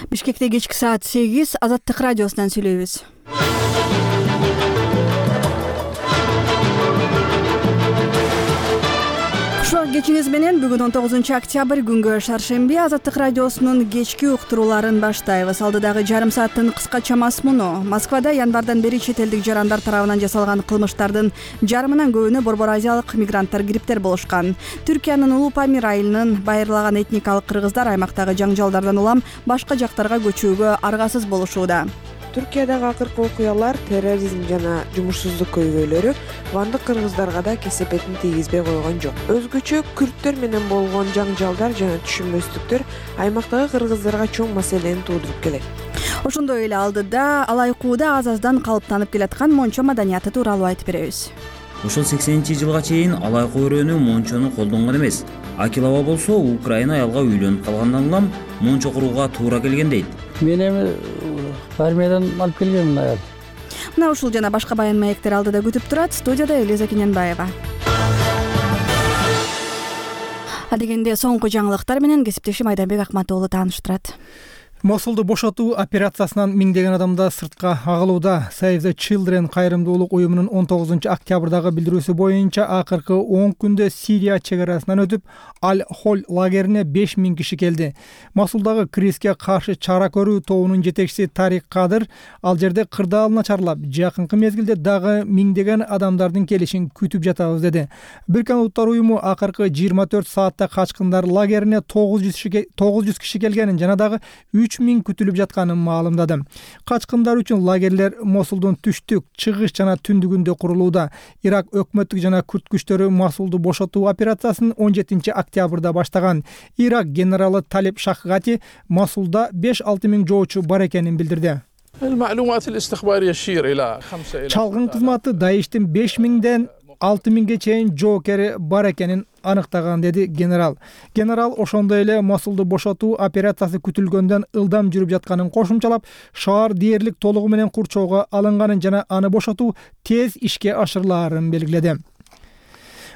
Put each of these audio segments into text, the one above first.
Бишкекте кечки саат 8 Азаттык радиосунан сүйлөйбүз. Кечиңиз менен бүгүн 19-октябрь күнгө шаршемби Азаттык радиосунун кечки уктурууларын баштайбыз. Алдыдагы жарым сааттын кыскача мазмуну: Москвада январдан бери чет элдик жарандар тарабынан жасалган кылмыштардын жарымынан көбүнө борбор азиялык мигранттар кириптер болушкан. Түркиянын Улуу Памир айылынын байырлаган этникалык кыргыздар аймактагы жаңжалдардан улам башка жактарга көчүүгө аргасыз болушууда. Түркиядагы акыркы окуялар, терроризм жана жумушсуздук көйгөйлөрү вандык кыргыздарга да кесепетин тийгизбей койгон жок. Өзгөчө күрттөр менен болгон жаңжалдар жана түшүнбөстүктөр аймактагы кыргыздарга чоң маселени туудуруп келет. Ошондой эле алдыда алайкууда аз-аздан калыптанып келаткан мончо маданияты тууралуу айтып беребиз. Ошол 80-жылга чейин алайкуу өрөөнү мончону колдонгон эмес. Акилова болсо Украина аялга үйлөнүп калгандан улам мончо курууга туура келген дейт. Мен эми армиядан алып келгенмин аял. Мына ушул жана башка баян маектер алдыда күтүп турат. Студияда Элиза Кененбаева. Адегенде соңку жаңылыктар менен кесиптешим Айданбек Акматоğlu тааныштырат. Мосулду бошотуу операциясынан миңдеген адамдар сыртка агылууда. Save the Children кайрымдуулук уюмунун 19-октябрдагы билдирүүсү боюнча акыркы 10 күндө Сирия чек арасынан өтүп, Аль-Холь лагерине 5000 киши келди. Мосулдагы кризиске каршы чара көрүү тобунун жетекчиси Тарик Кадыр ал жерде кырдаал начарлап, жакынкы мезгилде дагы миңдеген адамдардын келишин күтүп жатабыз деди. Бириккен Улуттар уюму акыркы 24 саатта качкындар лагерине 900 киши келгенин жана дагы 3000 күтүлүп жатканын маалымдады. Качкындар үчүн лагерлер Мосулдун түштүк, чыгыш жана түндүгүндө курулууда. Ирак өкмөттүк жана күрд күчтөрү Мосулду бошотуу операциясын 17-октябрда баштаган. Ирак генералы Талиб Шахгати Мосулда 5-6 миң жоочу бар экенин билдирди. Чалгын кызматы Даиштин 5000ден 6000ге чейин жоокери бар экенин аныктаган, деди генерал. Генерал ошондой эле Мосулду бошотуу операциясы күтүлгөндөн ылдам жүрүп жатканын кошумчалап, шаар дээрлик толугу менен курчоого алынганын жана аны бошотуу тез ишке ашырылаарын белгиледи.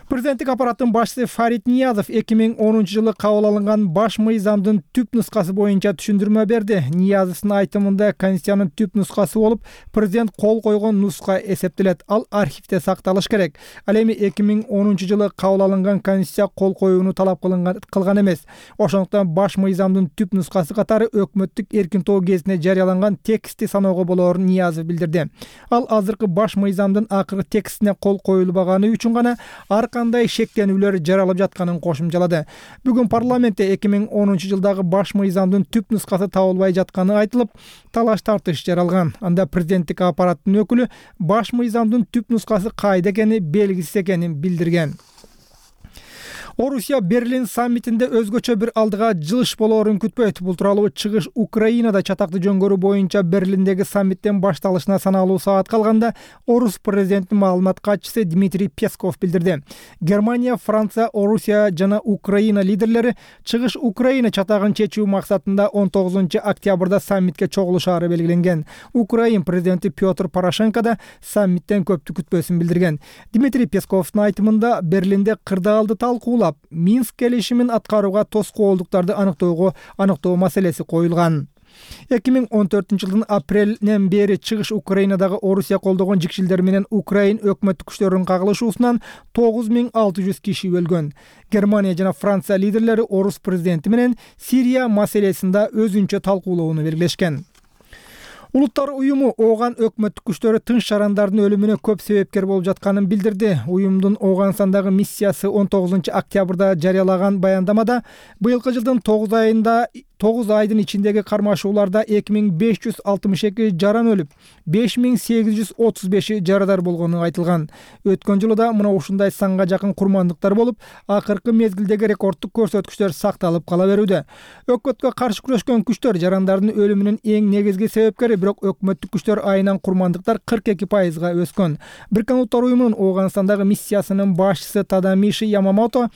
Президенттик аппараттын башчысы Фарид Ниязов 2010-жылы кабыл алынган баш мыйзамдын түп нускасы боюнча түшүндүрмө берди. Ниязовдун айтымында Конституциянын түп нускасы болуп, президент кол койгон нуска эсептелет. Ал архивде сакталыш керек. Ал эми 2010-жылы кабыл алынган Конституция кол коюуну талап кылган эмес. Ошондуктан баш мыйзамдын түп нускасы катары өкмөттүк эркинтоо кезинде жарыяланган текстти саноого болоорун Ниязов билдирди. Ал азыркы баш мыйзамдын акыркы текстине кол коюлбаганы үчүн гана кандай шектенүүлөр жаралып жатканын кошумчалады. Бүгүн парламентте 2010-жылдагы баш мыйзамдын түп нускасы табылбай жатканы айтылып, талаш тартыш жаралган. Анда президенттик аппараттын өкүлү баш мыйзамдын түп нускасы кайда экени белгисиз экенин билдирген. Орусия Берлин саммитинде өзгөчө бир алдыга жылыш болоорун күтпөйт. Бул тууралуу чыгыш Украинада чатактуу жөнгөрүү боюнча Берлиндеги саммиттен башталышына саналуу саат калганда Орус президентинин маалымат катчысы Дмитрий Песков билдирди. Германия, Франция, Орусия жана Украина лидерлери чыгыш Украина чатагын чечүү максатында 19-октябрда саммитке чогулушаары белгиленген. Украин президенти Петр Порошенко да саммиттен көптү күтпөсүн билдирген. Дмитрий Песковдун айтымында Берлинде кырдаалды талкуулап, Минск келишимин аткарууга тоскоолдуктарды аныктоо маселеси коюлган. 2014-жылдын апрелинен бери чыгыш Украинадагы Орусия колдогон жикшилдер менен Украин өкмөттүк күчтөрүнүн кагылышуусунан 9600 киши өлгөн. Германия жана Франция лидерлери Орус президенти менен Сирия маселесинде өзүнчө талкуулоону белгилешкен. Улуттар уюму ооган өкмөттүк күчтөрү тынч жарандардын өлүмүнө көп себепкер болуп жатканын билдирди. Уюмдун Оогансандагы миссиясы 19-октябрда жарыялаган баяндамада быйылкы жылдын 9 айдын ичиндеги кармашууларда 2562 жаран өлүп, 5835 жарадар болгону айтылган. Өткөн жылы да мына ушундай санга жакын курмандыктар болуп, акыркы мезгилдеги рекордтук көрсөткүчтөр сакталып кала берүүдө. Өкмөткө каршы күрөшкөн күчтөр жарандардын өлүмүнүн эң негизги себепкери, бирок өкмөттүк күчтөр айынан курмандыктар 42%га өскөн. Бириккен Улуттар уюмунун Оогансандагы миссиясынын башчысы Тадамиши Ямамото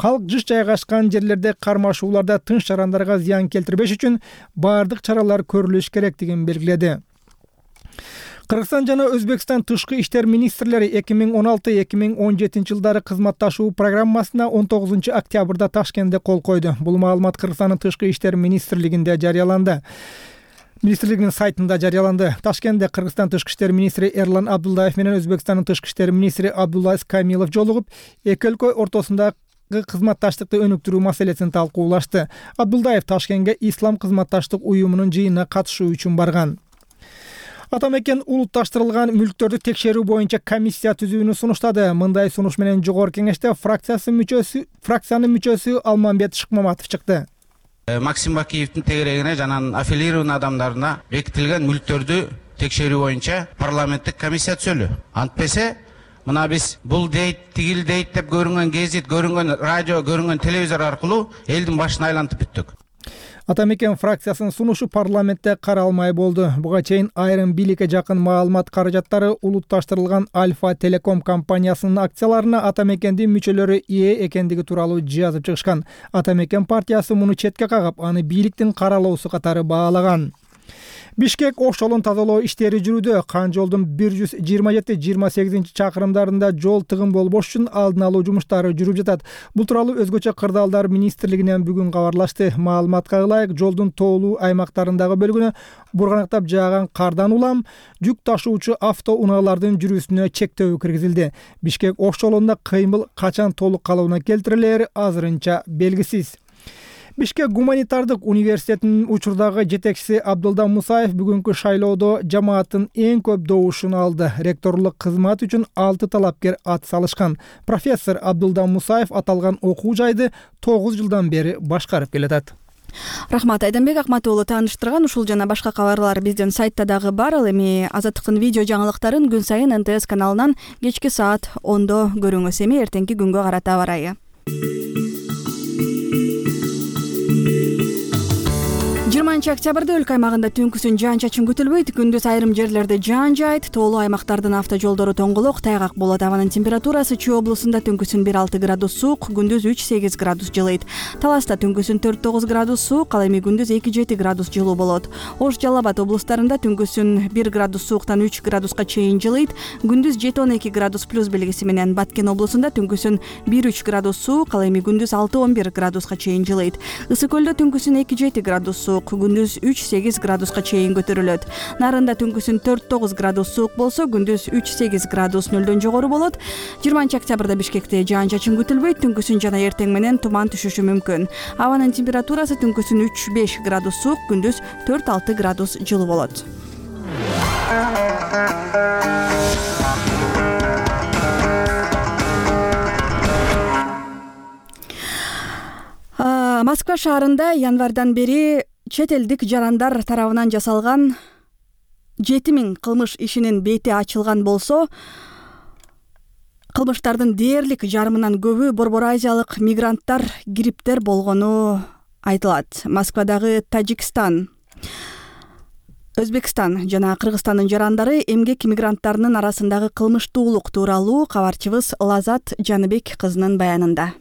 Калк жыш жайгашкан жерлерде кармашууларда тынч жарандарга зыян келтирбеш үчүн бардык чаралар көрүлүш керектигин белгиледи. Кыргызстан жана Өзбекстан тышкы иштер министрлери 2016-2017 жылдары кызматташуу программасына 19 октябрда Ташкентте кол койду. Бул маалымат Кыргызстандын тышкы иштер министрлигинде жарыяланды. Министрлигинин сайтында жарыяланды. Ташкентте Кыргызстан тышкы иштер министри Эрлан Абдуллаев менен Өзбекстандын тышкы иштер министри Абдуллаис Камилов жолугуп, эки өлкө ортосунда кызматташтыкты өнүктүрүү маселесин талкуулашты. Абдуллаев Ташкентке Ислам кызматташтык уюмунун жыйынына катышуу үчүн барган. Атамекен улутташтырылган мүлктөрдү текшерүү боюнча комиссия түзүүнү сунуштады. Мындай сунуш менен жогорку кеңеште фракциянын мүчөсү Алмамбет Шыкмаматов чыкты. Максим Бакиевдин тегерегине жана аффилированный адамдарына бекитилген мүлктөрдү текшерүү боюнча парламенттик комиссия түзөлү. Антпесе мына биз бул дейт, тигил дейт деп көрүнгөн гезит, көрүнгөн радио, көрүнгөн телевизор аркылуу элдин башын айлантып бүттүк. Атамекен фракциясынын сунушу парламентте каралмай болду. Буга чейин айрым бийликке жакын маалымат каражаттары улутташтырылган Альфа Телеком компаниясынын акцияларына Атамекендин мүчөлөрү ээ экендиги тууралуу жазып чыгышкан. Атамекен партиясы муну четке кагып, аны бийликтин каралоосу катары баалаган. Бишкек Ош жолун тазалоо иштери жүрүүдө. Кан жолдун 127-28 чакырымдарында жол тыгын болбош үчүн алдын алуу жумуштары жүрүп жатат. Бул тууралуу өзгөчө кырдаалдар министрлигинен бүгүн кабарлашты. Маалыматка ылайык, жолдун тоолуу аймактарындагы бөлүгүнө бурганактап жааган кардан улам жүк ташуучу автоунаалардын жүрүүсүнө чектөө киргизилди. Бишкек Ош жолунда кыймыл качан толук калыбына келтирилери азырынча белгисиз. Бишкек гуманитардык университетинин учурдагы жетекчиси Абдулда Мусаев бүгүнкү шайлоодо жамааттын эң көп добушун алды. Ректорлук кызмат үчүн 6 талапкер ат салышкан. Профессор Абдулда Мусаев аталган окуу жайды 9 жылдан бери башкарып келатат. Рахмат Айданбек Акматуулу тааныштырган. Ушул жана башка кабарлар биздин сайтта дагы бар. Ал эми Азаттыктын видео жаңылыктарын күн сайын НТС каналынан кечки саат 10-до көрүңүз. Эми эртеңки күнгө карата барайы. 20 октябрда өлкө аймагында түнкүсүн жаан-чачын күтүлбөйт. Күндүз айрым жерлерде жаан жаайт. Тоолуу аймактардын автожолдору тоңголок, тайгак болот. Абанын температурасы Чүй облусунда түнкүсүн 1-6 градус суук, күндүз 3-8 градус жылыйт. Таласта түнкүсүн 4-9 градус суук, ал эми күндүз 2-7 градус жылуу болот. Ош, Жалал Абад облустарында түнкүсүн 1 градус сууктан 3 градуска чейин жылыйт. Күндүз 7-12 градус плюс белгиси менен Баткен облусунда түнкүсүн 1-3 градус суук, ал эми күндүз 6-11 градуска чейин жылыйт. Ысык көлдө түнкүсүн 2-7 градус суук, күндүз 3-8 градуска чейин көтөрүлөт. Нарында түнкүсүн 4-9 градус суук болсо, күндүз 3-8 градус нөлдөн жогору болот. 20 октябрда Бишкекте жаан-чачын күтүлбөйт. Түнкүсүн жана эртең менен туман түшүшү мүмкүн. Абанын температурасы түнкүсүн 3-5 градус суук, күндүз 4-6 градус жылуу болот. Москва шаарында январдан бери чет элдик жарандар тарабынан жасалган 7000 кылмыш ишинин бети ачылган болсо, кылмыштардын дээрлик жарымынан көбү Борбор Азиялык мигранттар, гриптер болгону айтылат. Москвадагы Тажикстан, Өзбекстан жана Кыргызстандын жарандары эмгек мигранттарынын арасындагы кылмыштуулук тууралуу кабарчыбыз Лазат Жаныбек кызынын баянында.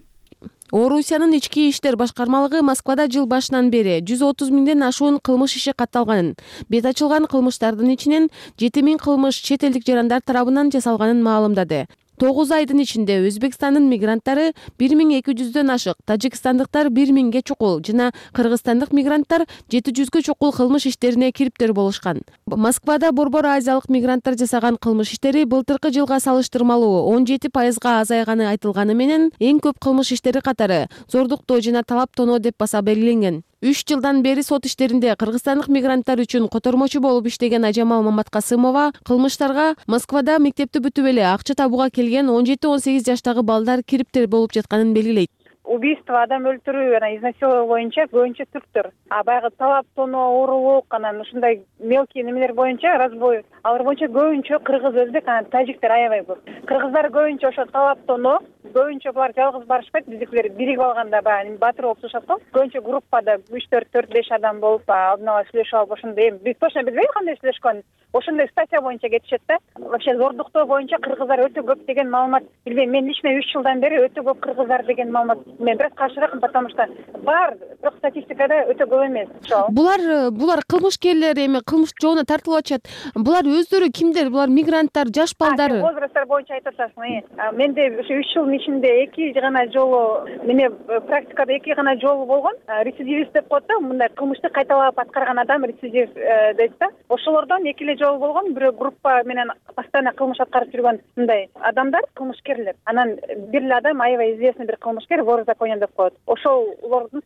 Орусиянын ички иштер башкармалыгы Москвада жыл башынан бери 130 миңден ашуун кылмыш иши катталганын, бет ачылган кылмыштардын ичинен 7000 кылмыш чет элдик жарандар тарабынан жасалганын маалымдады. 9 айдын ичинде Өзбекстандын мигранттары 1200дөн ашык, тажикстандыктар 1000ге чукул жана кыргызстандык мигранттар 700гө чукул кылмыш иштерине кириптер болушкан. Москвада Борбор Азиялык мигранттар жасаган кылмыш иштери былтыркы жылга салыштырмалуу 17% азайганы айтылганы менен, эң көп кылмыш иштери катары зордуктоо жана талаптоноо деп баса белгиленген. 3 жылдан бери сот иштеринде кыргызстандык мигранттар үчүн котормочу болуп иштеген Ажамал Маматкасымова кылмыштарга Москвада мектепти бүтүп эле акча табууга келген 17-18 жаштагы балдар кириптер болуп жатканын белгилейт. Убийство, адам өлтүрүү жана изнасилование боюнча көбүнчө түрктөр. Баягы талаптоноо, уурулук, анан ушундай мелкий немелер боюнча, разбой, алар боюнча көбүнчө кыргыз, өзбек, анан тажиктер аябай көп. Кыргыздар көбүнчө ошо талаптоноо, көбүнчө булар жалгыз барышпайт, биздикилер биригип алганда баягы батыр болуп чыгышат го. Көбүнчө группада 3-4-5 адам болуп, алдын ала сүйлөшүп алып, ошондой биз точно билбейбиз кандай сүйлөшкөнүн. Ошондой статья боюнча кетишет да. Вообще зордуктоо боюнча кыргыздар өтө көп деген маалымат. Билбейм, мен лично 3 жылдан бери өтө көп кыргыздар деген маалымат мен бирок каршыракмын, потому что бар, бирок статистикада өтө көп эмес. Булар кылмышкерлер, эми кылмыш жообуна тартылып атышат. Булар өздөрү кимдер? Булар мигранттар, жаш балдар. Возрасттар боюнча айтып атасың. Менде ошо 3 жылдын ичинде 2 гана жолу, менде практикада 2 гана жолу болгон. Рецидивист деп коет да, мындай кылмышты кайталап аткарган адам рецидив дейт да. Ошолордон 2 эле жолу болгон. Бирөө группа менен постоянно кылмыш аткарып жүргөн мындай адамдар кылмышкерлер. Анан бир эле адам аябай известный бир кылмышкер, вор в законе деп коет. Ошолордун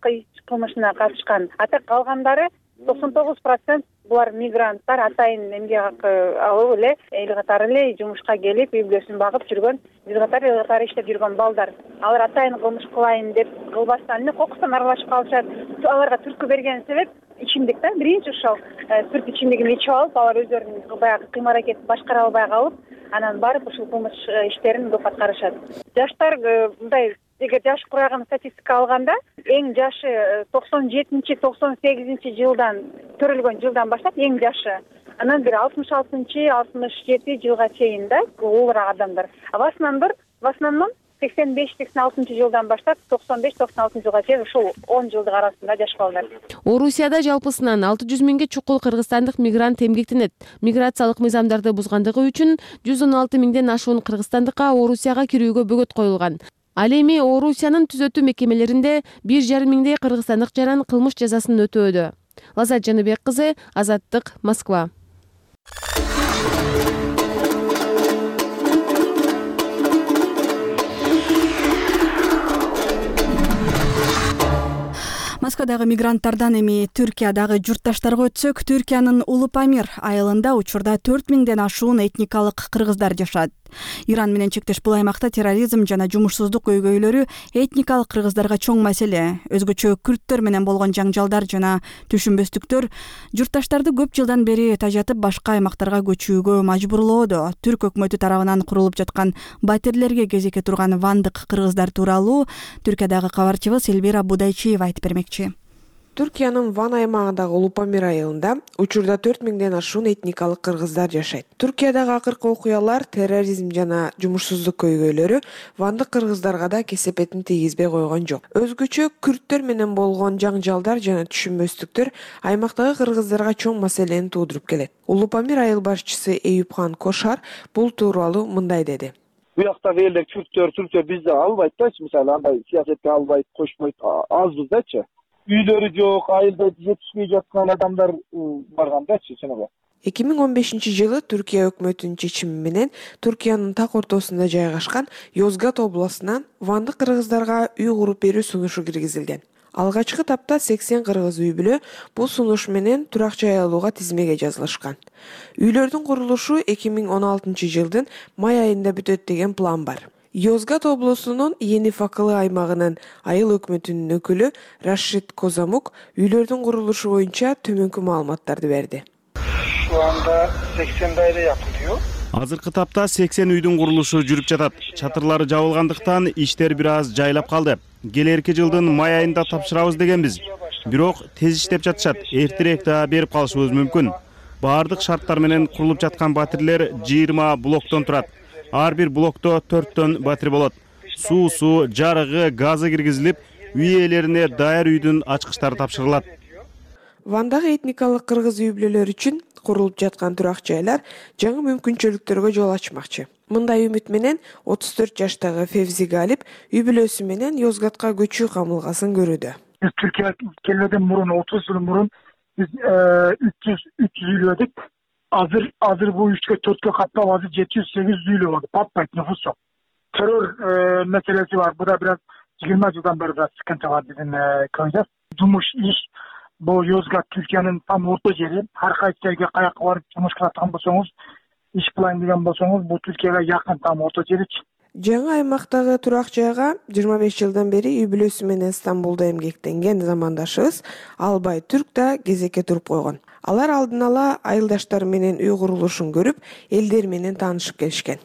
кылмышына катышкан. А так калгандары 99% булар мигранттар, атайын эмгек акы алып эле эл катары эле жумушка келип, үй бүлөсүн багып жүргөн, биз катары иштеп жүргөн балдар. Алар атайын кылмыш кылайын деп кылбастан эле кокустан аралашып калышат. Аларга түрткү берген себеп ичимдик да. Биринчи ошол спирт ичимдигин ичип алып, алар өздөрүнүн баягы кыймыл-аракетин башкара албай калып, анан барып ушул кылмыш иштерин көп аткарышат. Жаштар мындай, эгер жаш курагын статистика алганда, эң жашы 97-98 жылдан төрөлгөн жылдан баштап эң жашы. Анан бир 66-67 жылга чейин да улуураак адамдар. В основном 85-86 жылдан баштап 95-96 жылга чейин ушул 10 жылдык арасында жаш балдар. Орусияда жалпысынан 600 миңге чукул кыргызстандык мигрант эмгектенет. Миграциялык мыйзамдарды бузгандыгы үчүн 116 миңден ашуун кыргызстандыкка Орусияга кирүүгө бөгөт коюлган. Ал эми Орусиянын түзөтүү мекемелеринде 1,5 миңдей кыргызстандык жаран кылмыш жазасын өтөөдө. Лазат Жаныбек кызы, Азаттык, Москва. Москвадагы мигранттардан эми Түркиядагы журтташтарга өтсөк, Түркиянын Улупамир айылында учурда 4 миңден ашуун этникалык кыргыздар жашат. Иран менен чектеш бул аймакта терроризм жана жумушсуздук көйгөйлөрү этникалык кыргыздарга чоң маселе. Өзгөчө күрттөр менен болгон жаңжалдар жана түшүнбөстүктөр журтташтарды көп жылдан бери тажатып башка аймактарга көчүүгө мажбурлоодо. Түрк өкмөтү тарабынан курулуп жаткан батирлерге кезекке турган вандык кыргыздар тууралуу Түркиядагы кабарчыбыз Элвира Будайчиева айтып бермекчи. Түркиянын Ван аймагындагы Улупамир айылында учурда 4 миңден ашуун этникалык кыргыздар жашайт. Түркиядагы акыркы окуялар, терроризм жана жумушсуздук көйгөйлөрү вандык кыргыздарга да кесепетин тийгизбей койгон жок. Өзгөчө күрттөр менен болгон жаңжалдар жана түшүнбөстүктөр аймактагы кыргыздарга чоң маселени туудуруп келет. Улупамир айыл башчысы Эюпхан Кошар бул тууралуу мындай деди. Буяктагы элдер түрктөр бизди албайт да, мисалы андай саясатка албайт, кошпойт, азбыз дачы. Үйлөрү жок, айылда жетишпей жаткан адамдар барган дачы чыныгы. 2015 жылы Түркия өкмөтүнүн чечими менен Түркиянын так ортосунда жайгашкан Йозгат областынан вандык кыргыздарга үй куруп берүү сунушу киргизилген. Алгачкы тапта 80 кыргыз үй бүлө бул сунуш менен турак жай алууга тизмеге жазылышкан. Үйлөрдүн курулушу 2016 жылдын май айында бүтөт деген план бар. Йозгат облусунун Енифакылы аймагынын айыл өкмөтүнүн өкүлү Рашид Козамук үйлөрдүн курулушу боюнча төмөнкү маалыматтарды берди. Şu anda 80 daire yapılıyor. Азыркы тапта 80 үйдүн курулушу жүрүп жатат. Чатырлары жабылгандыктан иштер бир аз жайлап калды. Келерки жылдын май айында тапшырабыз дегенбиз. Бирок тез иштеп жатышат. Эртерээк да берип калышыбыз мүмкүн. Баардык шарттар менен курулуп жаткан батирлер 20 блоктон турат. Ар бир блокто 4төн батир болот. Суусу, жарыгы, газы киргизилип, үй ээлерине даяр үйдүн ачкычтары тапшырылат. Вандагы этникалык кыргыз үй бүлөлөр үчүн курулуп жаткан турак жайлар жаңы мүмкүнчүлүктөргө жол ачмакчы. Мындай үмүт менен 34 жаштагы Февзи Галип үй бүлөсү менен Йозгатка көчүү камылгасын көрүүдө. Türkiye kelmeden murun 30 yıl murun biz 300 üylüydük. Hazır bu 3'e 4'e katlap hazır 700-800 üylü oldu. Patlayıp nüfus yok. Terör meselesi var. Bu da biraz 20 yıldan beri de sıkıntı var bizim köyde. Cumuş iş bu Yozgat Türkiye'nin tam orta yeri. Her kayıt yerge kayak var. Cumuş kılatan bolsoңуз, iş kılayın degen bolsoңуз, bu Türkiye'ye yakın tam orta yeri. Жаңы аймактагы турак жайга 25 жылдан бери үй бүлөсү менен Стамбулда эмгектенген замандашыбыз Албай Түрк да кезекке туруп койгон. Алар алдын ала айылдаштары менен үй курулушун көрүп, элдер менен таанышып келишкен.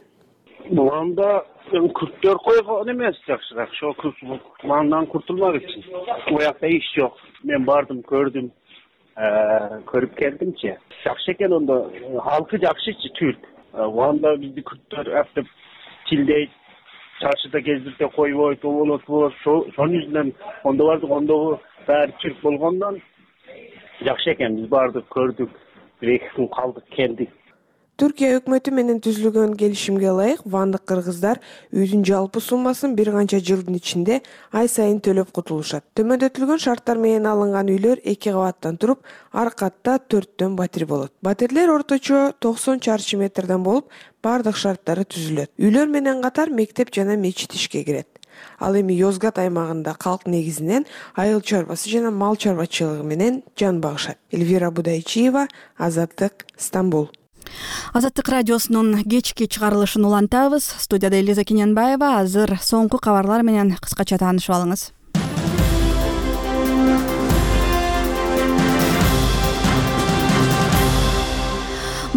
Анда күрттөр койгон эмес жакшыраак. Ошо маңдан куртулмак үчүн. Буякта иш жок. Мен бардым, көрдүм, көрүп келдимчи. Жакшы экен ондо. Халкы жакшычы, Түрк. Анда бизди күрттөр аптып тилдейт, чарчыда кездирте койбойт, оболотпу. Шонун жүзүнөн ондо бардык, ондогу баары чирк болгондон жакшы экен. Биз бардык, көрдүк, 1-2 күн калдык, келдик. Түркия өкмөтү менен түзүлгөн келишимге ылайык вандык кыргыздар үйдүн жалпы суммасын бир канча жылдын ичинде ай сайын төлөп кутулушат. Төмөндөтүлгөн шарттар менен алынган үйлөр 2 кабаттан туруп, ар катта 4төн батир болот. Батирлер орточо 90 чарчы метрден болуп, бардык шарттары түзүлөт. Үйлөр менен катар мектеп жана мечит ишке кирет. Ал эми Йозгат аймагында калк негизинен айыл чарбасы жана мал чарбачылыгы менен жан багышат. Эльвира Будайчиева, Азаттык, Стамбул. Азаттык радиосунун кечки чыгарылышын улантабыз. Студияда Элиза Кененбаева. Азыр соңку кабарлар менен кыскача таанышып алыңыз.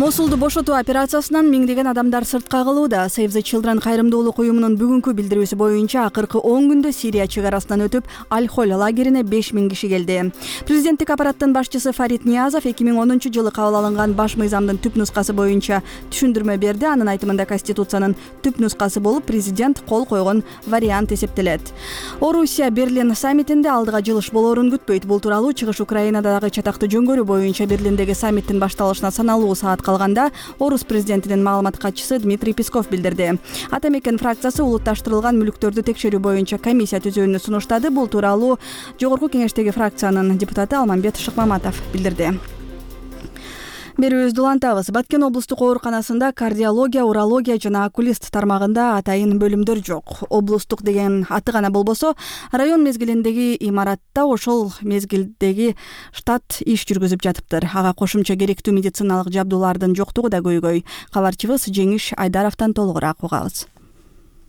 Мосулду бошотуу операциясынан миңдеген адамдар сыртка калууда. Save the Children кайрымдуулук уюмунун бүгүнкү билдирүүсү боюнча акыркы 10 күндө Сирия чыгарасынан өтүп, Аль-Холь лагерине 5000 киши келди. Президенттик аппараттын башчысы Фарид Ниязов 2010-жылы кабыл алынган баш мыйзамдын түп нускасы боюнча түшүндүрмө берди. Анын айтымында Конституциянын түп нускасы болуп президент кол койгон вариант эсептелет. Орусия Берлин саммитинде алдыга жылыш болоорун күтпөйт. Бул тууралуу чыгыш Украинадагы чатактуу жөнгөрүү боюнча Берлиндеги саммиттин башталышына саналуу саат калганда Орус президентинин маалымат катчысы Дмитрий Песков билдирди. Ата мекен фракциясы улутташтырылган мүлктөрдү текшерүү боюнча комиссия түзүүнү сунуштады. Бул тууралуу жогорку кеңештеги фракциянын депутаты Алмамбет Шыкмаматов билдирди. Берүүбүздү улантабыз. Баткен облустук ооруканасында кардиология, урология жана окулист тармагында атайын бөлүмдөр жок. Облустук деген аты гана болбосо, район мезгилиндеги имаратта ошол мезгилдеги штат иш жүргүзүп жатыптыр. Ага кошумча керектүү медициналык жабдуулардын жоктугу да көйгөй. Кабарчыбыз Жеңиш Айдаровдон толугураак угабыз.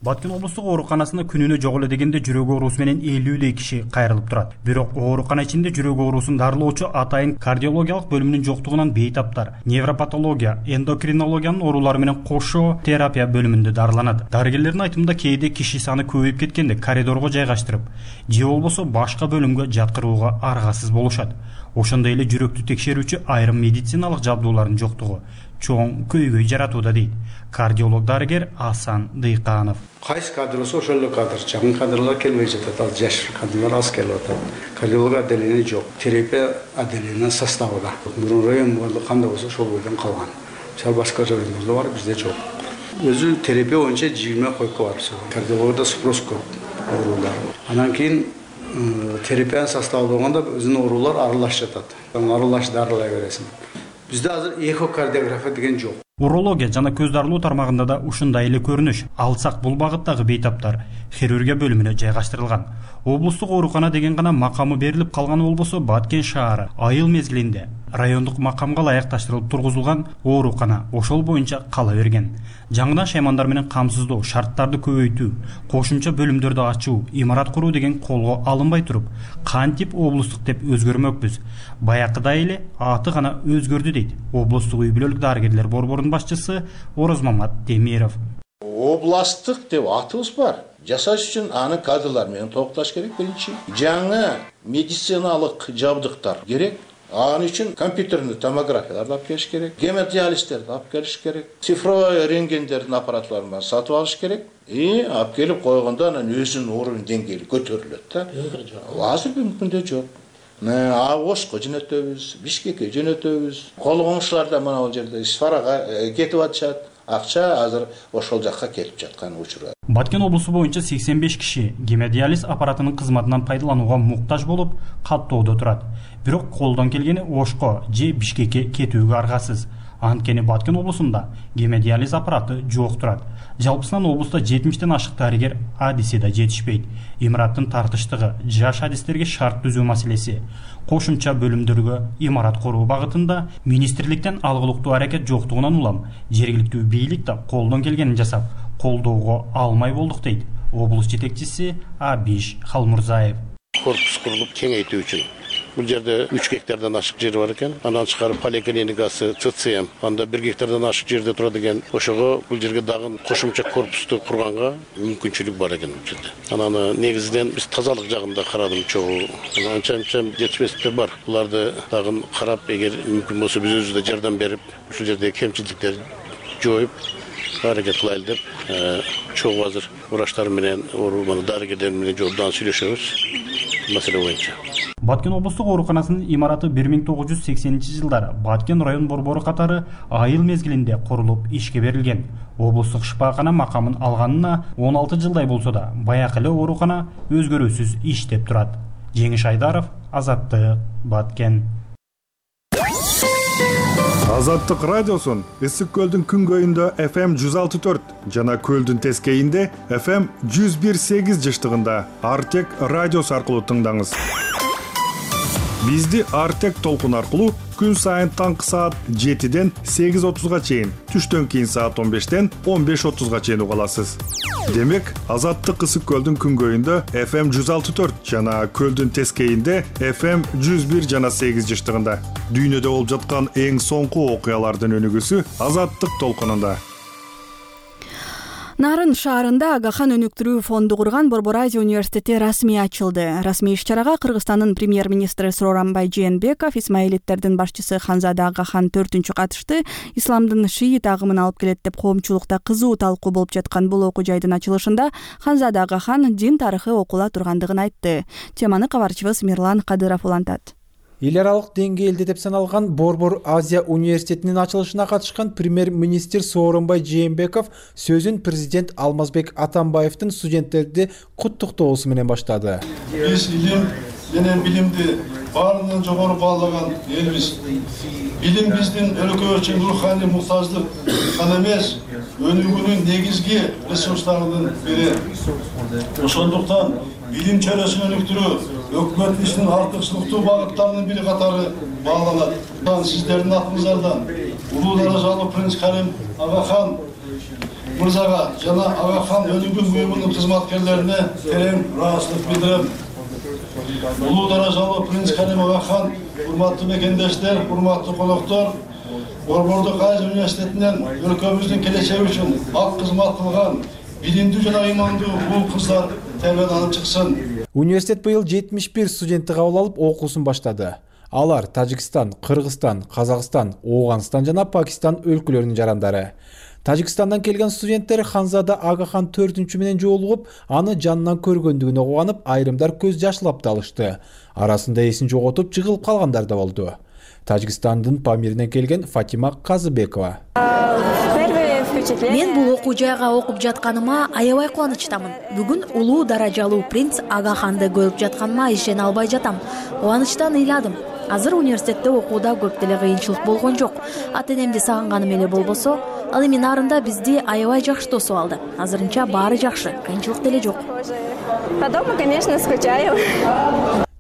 Баткен облустук ооруканасында күнүнө жок эле дегенде жүрөк оорусу менен 50 киши кайрылып турат. Бирок оорукана ичинде жүрөк оорусун дарылоочу атайын кардиологиялык бөлүмүнүн жоктугунан бейтаптар невропатология, эндокринологиянын оорулары менен кошо терапия бөлүмүндө дарыланат. Дарыгерлердин айтымында кээде киши саны көбөйүп кеткенде коридорго жайгаштырып, же болбосо башка бөлүмгө жаткырууга аргасыз болушат. Ошондой эле жүрөктү текшерүүчү айрым медициналык жабдуулардын жоктугу чоң көйгөй жаратууда дейт кардиолог дарыгер Асан Дыйканов. Кайсы кадр болсо ошол эле кадр, жакын кадрлар келбей жатат, ал жаш кадрлар аз келип атат. Кардиолог отделение жок, терапия отделение составында. Мурун район кандай болсо ошол бойдон калган. Мисалы башка райондордо бар, бизде жок. Өзү терапия боюнча 20 койка бар. Кардиологда спрос көп оорулар. Анан кийин терапиянын составы болгондо өзүнүн оорулар аралашып жатат. Аралаш дарылай бересиң. Бизде азыр эхокардиография деген жок. Урология жана көз дарылоо тармагында да ушундай эле көрүнүш. Алсак бул багыттагы бейтаптар хирургия бөлүмүнө жайгаштырылган. Облустук оорукана деген гана макамы берилип калганы болбосо Баткен шаары айыл мезгилинде райондук макамга ылайыкташтырылып тургузулган оорукана ошол боюнча кала берген. Жаңыдан шаймандар менен камсыздоо, шарттарды көбөйтүү, кошумча бөлүмдөрдү ачуу, имарат куруу деген колго алынбай туруп, кантип облустук деп өзгөрмөкпүз. Баякыдай эле аты гана өзгөрдү дейт облустук үй бүлөлүк дарыгерлер борборунун башчысы Орозмамат Демиров. Областык деп атыбыз бар. Жасаш үчүн аны кадрлар менен толукташ керек биринчи. Жаңы медициналык жабдыктар керек. Анын үчүн компьютерный томографияларды алып келиш керек, гемодиализтерди алып келиш керек, цифровой рентгендердин аппаратыларын сатып алыш керек. Алып келип койгондо анан өзүнүн уровень деңгээли көтөрүлөт да. Азыр мүмкүндө жок. Ошко жөнөтөбүз, Бишкекке жөнөтөбүз. Кол коңшулар да мына бул жерде Сфарага кетип атышат. Акча азыр ошол жакка келип жаткан учур. Баткен облусу боюнча 85 киши гемодиализ аппаратынын кызматынан пайдаланууга муктаж болуп каттоодо турат. Бирок колдон келгени Ошко же Бишкекке кетүүгө аргасыз. Анткени Баткен облусунда гемодиализ аппараты жок турат. Жалпысынан облуста 70тен ашык дарыгер адиси да жетишпейт. Имараттын тартыштыгы, жаш адистерге шарт түзүү маселеси, кошумча бөлүмдөргө имарат куруу багытында министрликтен алгылыктуу аракет жоктугунан улам жергиликтүү бийлик да колдон келгенин жасап, колдоого алмай болдук дейт облус жетекчиси Абиш Халмурзаев. Корпус курулуп кеңейтүү үчүн бул жерде 3 гектардан ашык жер бар экен. Андан чыгарып поликлиникасы, ЦЦМ, анда 1 гектардан ашык жерде турат экен. Ошого бул жерге дагы кошумча корпусту курганга мүмкүнчүлүк бар экен бул жерде. Анан негизинен биз тазалык жагында карадым чогуу. Анча-мынча жетишпестиктер бар. Буларды дагы карап, эгер мүмкүн болсо биз өзүбүз да жардам берип, ушул жердеги кемчиликтерди жоюп, аракет кылайлы деп чогуу азыр врачтар менен дарыгерлер менен жолдон сүйлөшөбүз маселе боюнча. Баткен облустук ооруканасынын имараты 1980-жылдары Баткен район борбору катары айыл мезгилинде курулуп ишке берилген. Облустук шифакана макамын алганына 16 жылдай болсо да, баякы эле оорукана өзгөрүүсүз иштеп турат. Жеңиш Айдаров, Азаттык, Баткен. Азаттык радиосун Ысык көлдүн күнгөйүндө FM 106.4 жана көлдүн тескейинде FM 101.8 жыштыгында Артек радиосу аркылуу тыңдаңыз. Бизди Артек толкун аркылуу күн сайын таңкы саат 7-ден 8:30га чейин, түштөн кийин саат 15-ден 15:30га чейин уга аласыз. Демек, Азаттык Ысык көлдүн күнгөйүндө FM 106.4 жана көлдүн тескейинде FM 101 жана 8 жыштыгында. Дүйнөдө болуп жаткан эң соңку окуялардын өнүгүүсү Азаттык толкунунда. Нарын шаарында Агахан өнүктүрүү фонду курган Борбор Азия университети расмий ачылды. Расмий иш-чарага Кыргызстандын премьер-министри Сооронбай Жээнбеков, исмаилиттердин башчысы Ханзада Агахан 4-үнчү катышты. Исламдын шиит агымын алып келет деп коомчулукта кызуу талкуу болуп жаткан бул окуу жайдын ачылышында Ханзада Агахан дин тарыхы окула тургандыгын айтты. Теманы кабарчыбыз Мирлан Кадыров улантат. Эл аралык деңгээлде деп саналган Борбор Азия университетинин ачылышына катышкан премьер-министр Сооронбай Жээнбеков сөзүн президент Алмазбек Атамбаевдин студенттерди куттуктоосу менен баштады. Биз илим менен билимди баарынан жогору баалаган элбиз. Билим биздин өлкө үчүн руханий муктаждык гана эмес, өнүгүүнүн негизги ресурстарынын бири. Ошондуктан билим чөйрөсүн өнүктүрүү өкмөт ишинин артыкчылыктуу багыттарынын бири катары бааланат. Сиздердин атыңыздардан улуу даражалуу принц Карим Агахан мырзага жана Агахан өнүгүү буюмунун кызматкерлерине терең ыраазычылык билдирем. Улуу даражалуу принц Карим Агахан, урматтуу мекендештер, урматтуу коноктор, Борбордук Азия университетинен өлкөбүздүн келечеги үчүн ак кызмат кылган билимдүү жана ыймандуу уул кыздар тербияланып чыксын. Университет быйыл 71 студентти кабыл алып окуусун баштады. Алар Тажикстан, Кыргызстан, Казакстан, Ооганстан жана Пакистан өлкөлөрүнүн жарандары. Тажикстандан келген студенттер Ханзада Агахан 4-үнчү менен жолугуп, аны жанынан көргөндүгүнө кубанып, айрымдар көз жашлап да алышты. Арасында эсин жоготуп, жыгылып калгандар да болду. Тажикстандын Памиринен келген Фатима Казыбекова. Мен бул окуу жайга окуп жатканыма аябай кубанычтамын. Бүгүн улуу даражалуу принц Агаханды көрүп жатканыма ишене албай жатам. Кубанычтан ыйладым. Азыр университетте окууда көп деле кыйынчылык болгон жок. Ата-энемди сагынганым эле болбосо, ал эми нарында бизди аябай жакшы тосуп алды. Азырынча баары жакшы, кыйынчылык деле жок. По дому, конечно, скучаю.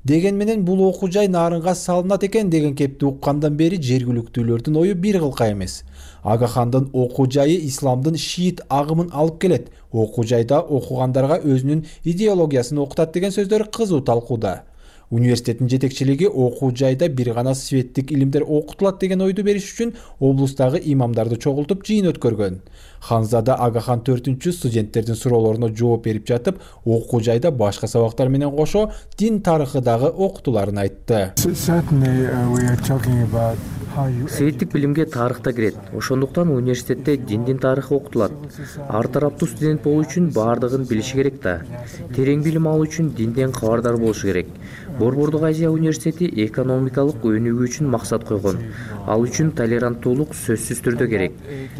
Деген менен бул окуу жай нарынга салынат экен деген кепти уккандан бери жергиликтүүлөрдүн ою бир кылка эмес. Агахандын окуу жайы исламдын шиит агымын алып келет. Окуу жайда окугандарга өзүнүн идеологиясын окутат деген сөздөр кызуу талкууда. Университеттин жетекчилиги окуу жайда бир гана светтик илимдер окутулат деген ойду бериш үчүн облустагы имамдарды чогултуп жыйын өткөргөн. Ханзада Агахан 4-үнчү студенттердин суроолоруна жооп берип жатып, окуу жайда башка сабактар менен кошо дин тарыхы дагы окутуларын айтты. Светтик билимге тарых да кирет. Ошондуктан университетте диндин тарыхы окутулат. Ар тараптуу студент болуу үчүн баардыгын билиши керек да. Терең билим алуу үчүн динден кабардар болушу керек. Борбордук Азия университети экономикалык өнүгүү үчүн максат койгон. Ал үчүн толеранттуулук сөзсүз түрдө керек.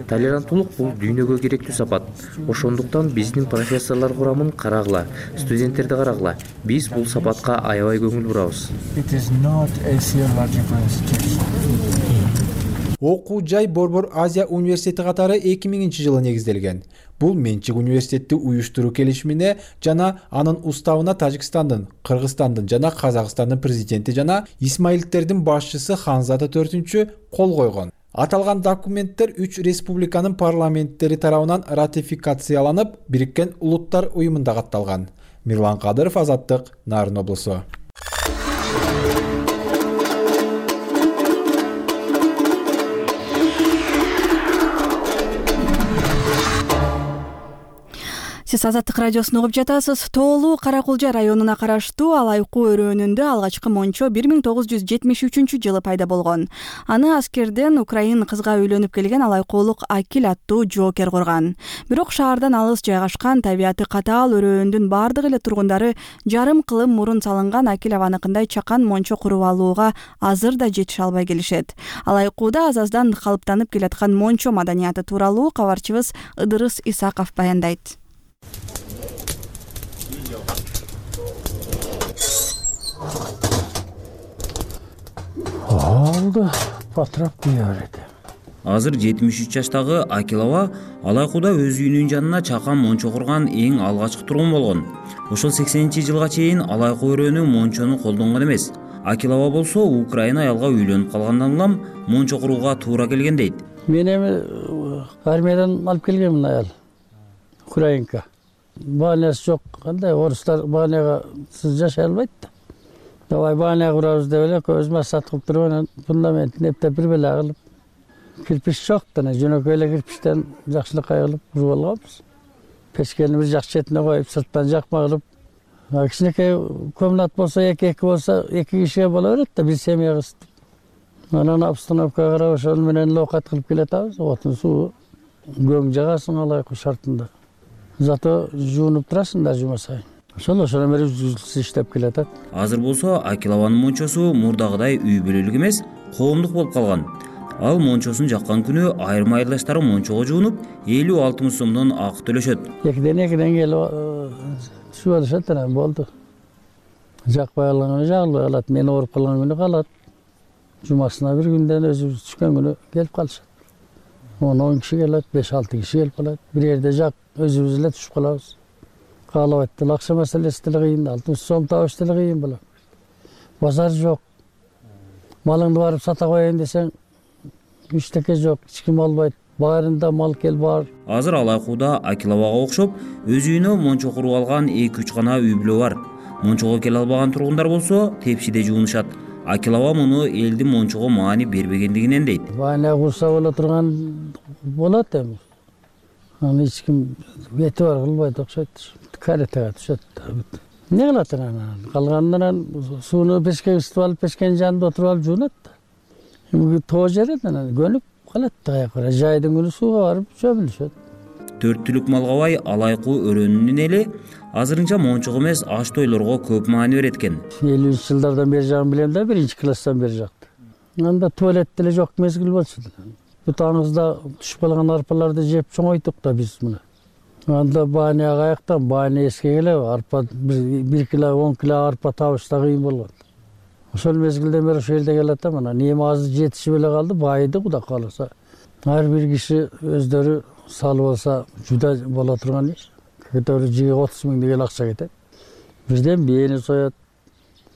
Толеранттуулук бул дүйнөгө керектүү сапат. Ошондуктан биздин профессорлор курамын карагыла, студенттерди карагыла. Биз бул сапатка аябай көңүл бурабыз. Окуу жай Борбор Азия университети катары 2000-жылы негизделген. Бул менчик университетти уюштуруу келишимине жана анын уставына Тажикстандын, Кыргызстандын жана Казакстандын президенти жана исмаилиттердин башчысы Ханзада 4-үнчү кол койгон. Аталган документтер 3 республиканын парламенттери тарабынан ратификацияланып, Бириккен Улуттар уюмунда катталган. Мирлан Кадыров, Азаттык, Нарын облусу. Сиз Азаттык радиосун угуп жатасыз. Тоолуу Кара Кулжа районуна караштуу Алайкуу өрөөнүндө алгачкы мончо 1973 жылы пайда болгон. Аны аскерден украин кызга үйлөнүп келген Алайкуулук Акил аттуу жоокер курган. Бирок шаардан алыс жайгашкан, табияты катаал өрөөндүн бардык эле тургундары жарым кылым мурун салынган Акил абаныкындай чакан мончо куруп алууга азыр да жетише албай келишет. Алайкууда азаздан калыптанып келаткан мончо маданияты тууралуу кабарчыбыз Ыдырыс Исаков баяндайт. Алды патрап кыярет. Азыр 73 жаштагы Акилова Алайкууда өз үйүнүн жанына чакан мончо курган эң алгачкы тургун болгон. Ошол 80-жылга чейин Алайкуу өрөөнү мончону колдонгон эмес. Акилова болсо Украина аялга үйлөнүп калгандан улам мончо курууга туура келген дейт. Мен эми армиядан алып келгенмин аял. Украинка. Баанясы жок. Кандай орустар бааняга сиз жашай албайт да. Давай бааня курабыз деп эле көз масат кылып туруп анан фундаментин эптеп бир беле кылып. Кирпич жок да, жөнөкөй эле кирпичтен жакшылыкка кылып куруп алганбыз. Печкени бир жак четине коюп, сырттан жакма кылып. Кичинекей комнат болсо, эки болсо, эки кишиге боло берет да, бир семья кызып. Анан обстановкага карап ошол менен лоокат кылып келатабыз. Отун суу көң жагасың Алайкуу шартында. Зато жуунуп турасың да жума сайын. Ошол менен иштеп келатат. Азыр болсо Акилованын мончосу мурдагыдай үй бүлөлүк эмес, коомдук болуп калган. Ал мончосун жаккан күнү айрым айылдаштары мончого жуунуп 50-60 сомдон акы төлөшөт. Экиден келип түшүп алышат анан болду. Жакпай калган күнү жагылбай калат, мен ооруп калган күнү калат. Жумасына бир күндөн өзүбүз түшкөн күнү келип калышат. 10 киши келет, 5-6 киши келип калат. Бир жерде жак өзүбүз эле түшүп калабыз. Каалабайт деле акча маселеси деле кыйын, 60 сом табыш деле кыйын болот. Базар жок. Малыңды барып сата коеюн десең, эчтеке жок, эч ким албайт. Баарында мал кел бар. Азыр Алайкууда Акиловага окшоп өз үйүнө мончо куруп алган 2-3 гана үй бүлө бар. Мончого келе албаган тургундар болсо тепшиде жуунушат. Акилова муну элдин мончого маани бербегендигинен дейт. Баана курса боло турган болот эми. Аны эч ким эти бар кылбайт окшойт. Каретага түшөт. Не кылат анан? Калганынан сууну печкеге ысытып алып, печкенин жанында отуруп алып жуунат да. Эми тоо жерет анан көнүп калат да каяка. Жайдын күнү сууга барып чөмүлүшөт. 4 түлүк малга бай Алайкуу өрөөнүнүн эли азырынча мончого эмес аш тойлорго көп маани берет экен. 50 жылдардан бери жагын билем да, 1-класстан бери жакты. Анда туалет деле жок мезгил болчу. Бутаңызда түшүп калган арпаларды жеп чоңойттук да биз мына. Анда бааня каяктан, бааня эске келе, арпа 1 кило, 10 кило арпа табышта кыйын болгон. Ошол мезгилден бери ошол жерде келет да, мына неме азыр жетишип эле калды, байыды Кудай кааласа. Ар бир киши өздөрү салып алса жуда боло турган иш. Кетөөрү 30 миң деген акча кетет. Бирден бийени соет,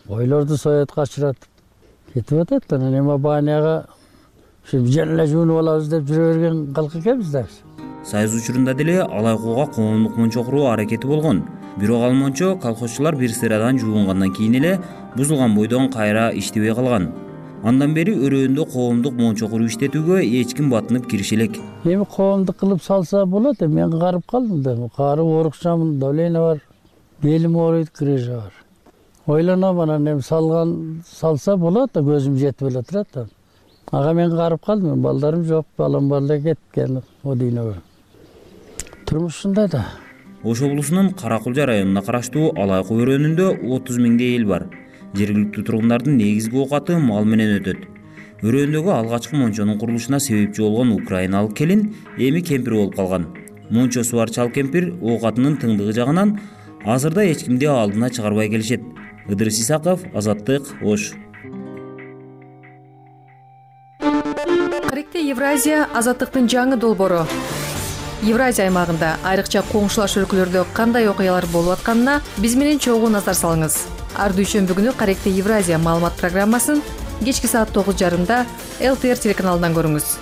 ойлорду соет, качырат. Кетип атат. Анан эми бааняга жана эле жуунуп алабыз деп жүрө берген калк экенбиз да. Сайыз учурунда деле Алайкууга коомдук мончо куруу аракети болгон. Бирок ал мончо колхозчулар бир sıрадан жуунгандан кийин эле бузулган бойдон кайра иштебей калган. Андан бери өрөөндө коомдук мончо куруу иштетүүгө эч ким батынып кириши элек. Эми коомдук кылып салса болот, мен карып калдым да. Кары оорукчамын, давление бар, белим ооруйт, крыжа бар. Ойлоном анан эми салса болот да, көзүм жетип эле турат да. Ага мен карып калдым, балдарым жок, балам бар эле кеткен о дүйнөгө. Турмуш ушундай да. Ош облусунун Кара Кулжа районуна караштуу Алайкуу өрөөнүндө 30 миңдей эл бар. Жергиликтүү тургундардын негизги оокаты мал менен өтөт. Өрөөндөгү алгачкы мончонун курулушуна себепчи болгон украиналык келин эми кемпир болуп калган. Мончосу бар чал кемпир оокатынын тыңдыгы жагынан азырда эч кимди алдына чыгарбай келишет. Ыдырыс Исаков, Азаттык, Ош. Каректе Евразия Азаттыктын жаңы долбоору. Евразия аймагында айрыкча коңшулаш өлкөлөрдө кандай окуялар болуп атканына биз менен чогуу назар салыңыз. Ар дүйшөмбү күнү Каректе Евразия маалымат программасын кечки саат 9:30 ЛТР телеканалынан көрүңүз.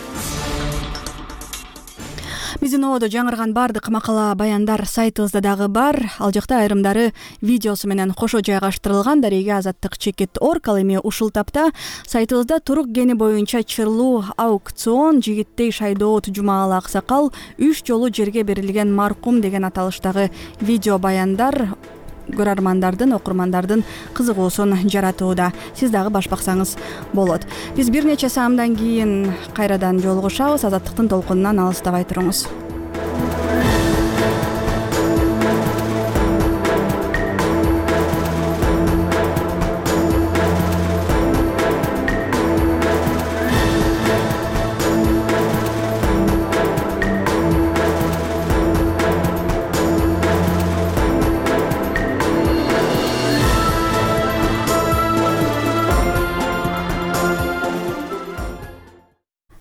Биздин ободо жаңырган бардык макала баяндар сайтыбызда дагы бар. Ал жакта айрымдары видеосу менен кошо жайгаштырылган. Дареге azattik.org. Ал эми ушул тапта сайтыбызда турук гени боюнча чырлуу аукцион Жигиттей Шайдоот Жумаалы аксакал 3 жолу жерге берилген маркум деген аталыштагы видео баяндар көрөрмандардын, окурмандардын кызыгуусун жаратууда. Сиз дагы баш баксаңыз болот. Биз бир нече саамдан кийин кайрадан жолугушабыз. Азаттыктын толкунунан алыстабай туруңуз.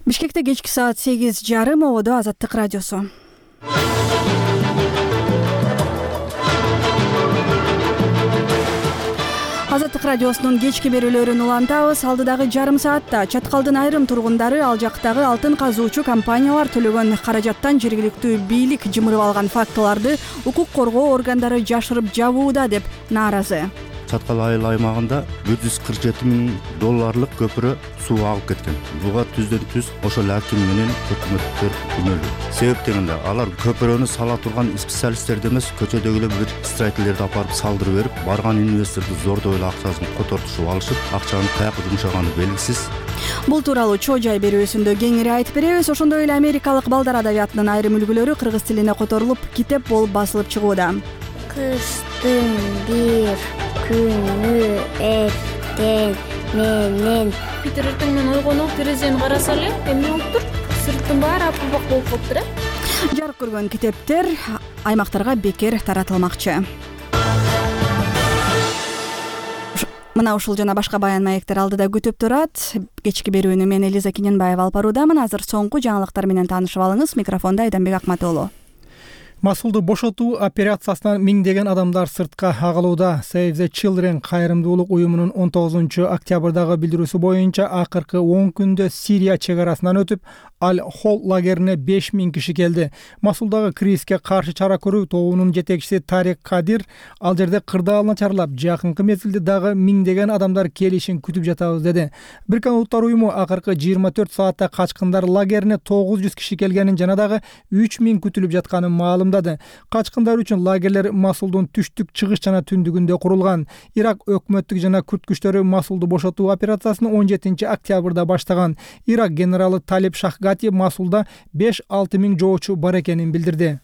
Бишкекте кечки саат 8:30 ободо Азаттык радиосу. Азаттык радиосунун кечки берүүлөрүн улантабыз. Алдыдагы жарым саатта Чаткалдын айрым тургундары ал жактагы алтын казуучу компаниялар төлөгөн каражаттан жергиликтүү бийлик жымырып алган фактыларды укук коргоо органдары жашырып жабууда деп нааразы. Чаткал айыл аймагында $147,000 көпүрө суу агып кеткен. Буга түздөн-түз ошол аким менен өкмөттөр күнөөлүү. Себеп дегенде алар көпүрөнү сала турган специалисттерди эмес, көчөдөгүлөр бир строительдерди апарып салдырып берип, барган инвесторду зордой эле акчасын котортушуп алышып, акчанын каяка жумшаганы белгисиз. Бул тууралуу чоо жай берүүсүндө кеңири айтып беребиз. Ошондой эле америкалык балдар адабиятынын айрым үлгүлөрү кыргыз тилине которулуп, китеп болуп басылып чыгууда. Кыштын бир күнү эртең менен Питер эртең менен ойгонуп терезени караса эле эмне болуптур? Сырттын баары апылбак болуп калыптыр, Жарык көргөн китептер аймактарга бекер таратылмакчы. Мына ушул жана башка баян маектер алдыда күтүп турат. Кечки берүүнү мен Элиза Киненбаева алып баруудамын. Азыр соңку жаңылыктар менен таанышып алыңыз. Микрофондо Айданбек Акматоолу. Масулду бошотуу операциясынан миңдеген адамдар сыртка агылууда. Save the Children кайрымдуулук уюмунун 19 октябрдагы билдирүүсү боюнча акыркы 10 күндө Сирия чек арасынан өтүп, Аль-Хол лагерине 5000 киши келди. Масулдагы кризиске каршы чара көрүү тобунун жетекчиси Тарик Кадир ал жерде кырдаал начарлап, жакынкы мезгилде дагы миңдеген адамдар келишин күтүп жатабыз деди. Бириккен Улуттар уюму акыркы 24 саатта качкындар лагерине 900 киши келгенин жана дагы 3000 күтүлүп жатканын маалымдады. Качкындар үчүн лагерлер Масулдун түштүк, чыгыш жана түндүгүндө курулган. Ирак өкмөттүк жана күрд күчтөрү Масулду бошотуу операциясын 17 октябрда баштаган. Ирак генералы Талиб Шахгати Масулда 5-6 миң жоочу бар экенин билдирди.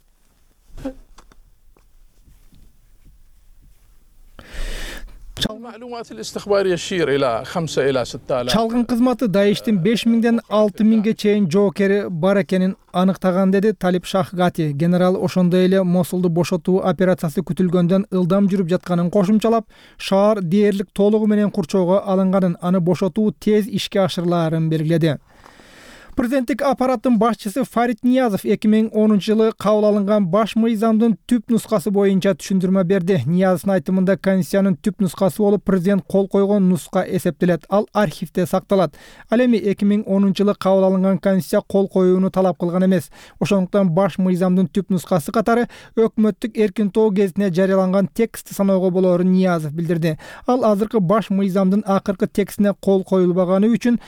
Чалгын кызматы Даиштин 5000ден 6000ге чейин жоокери бар экенин аныктаган, деди Талиб Шахгати. Генерал ошондой эле Мосулду бошотуу операциясы күтүлгөндөн ылдам жүрүп жатканын кошумчалап, шаар дээрлик толугу менен курчоого алынганын, аны бошотуу тез ишке ашырылаарын белгиледи. Президенттик аппараттын башчысы Фарид Ниязов 2010 жылы кабыл алынган баш мыйзамдын түп нускасы боюнча түшүндүрмө берди. Ниязовдун айтымында Конституциянын түп нускасы болуп президент кол койгон нуска эсептелет. Ал архивде сакталат. Ал эми 2010 жылы кабыл алынган Конституция кол коюуну талап кылган эмес. Ошондуктан баш мыйзамдын түп нускасы катары өкмөттүк эркин тоо гезитине жарыяланган текстти саноого болоорун Ниязов билдирди. Ал азыркы баш мыйзамдын акыркы текстине кол коюлбаганы үчүн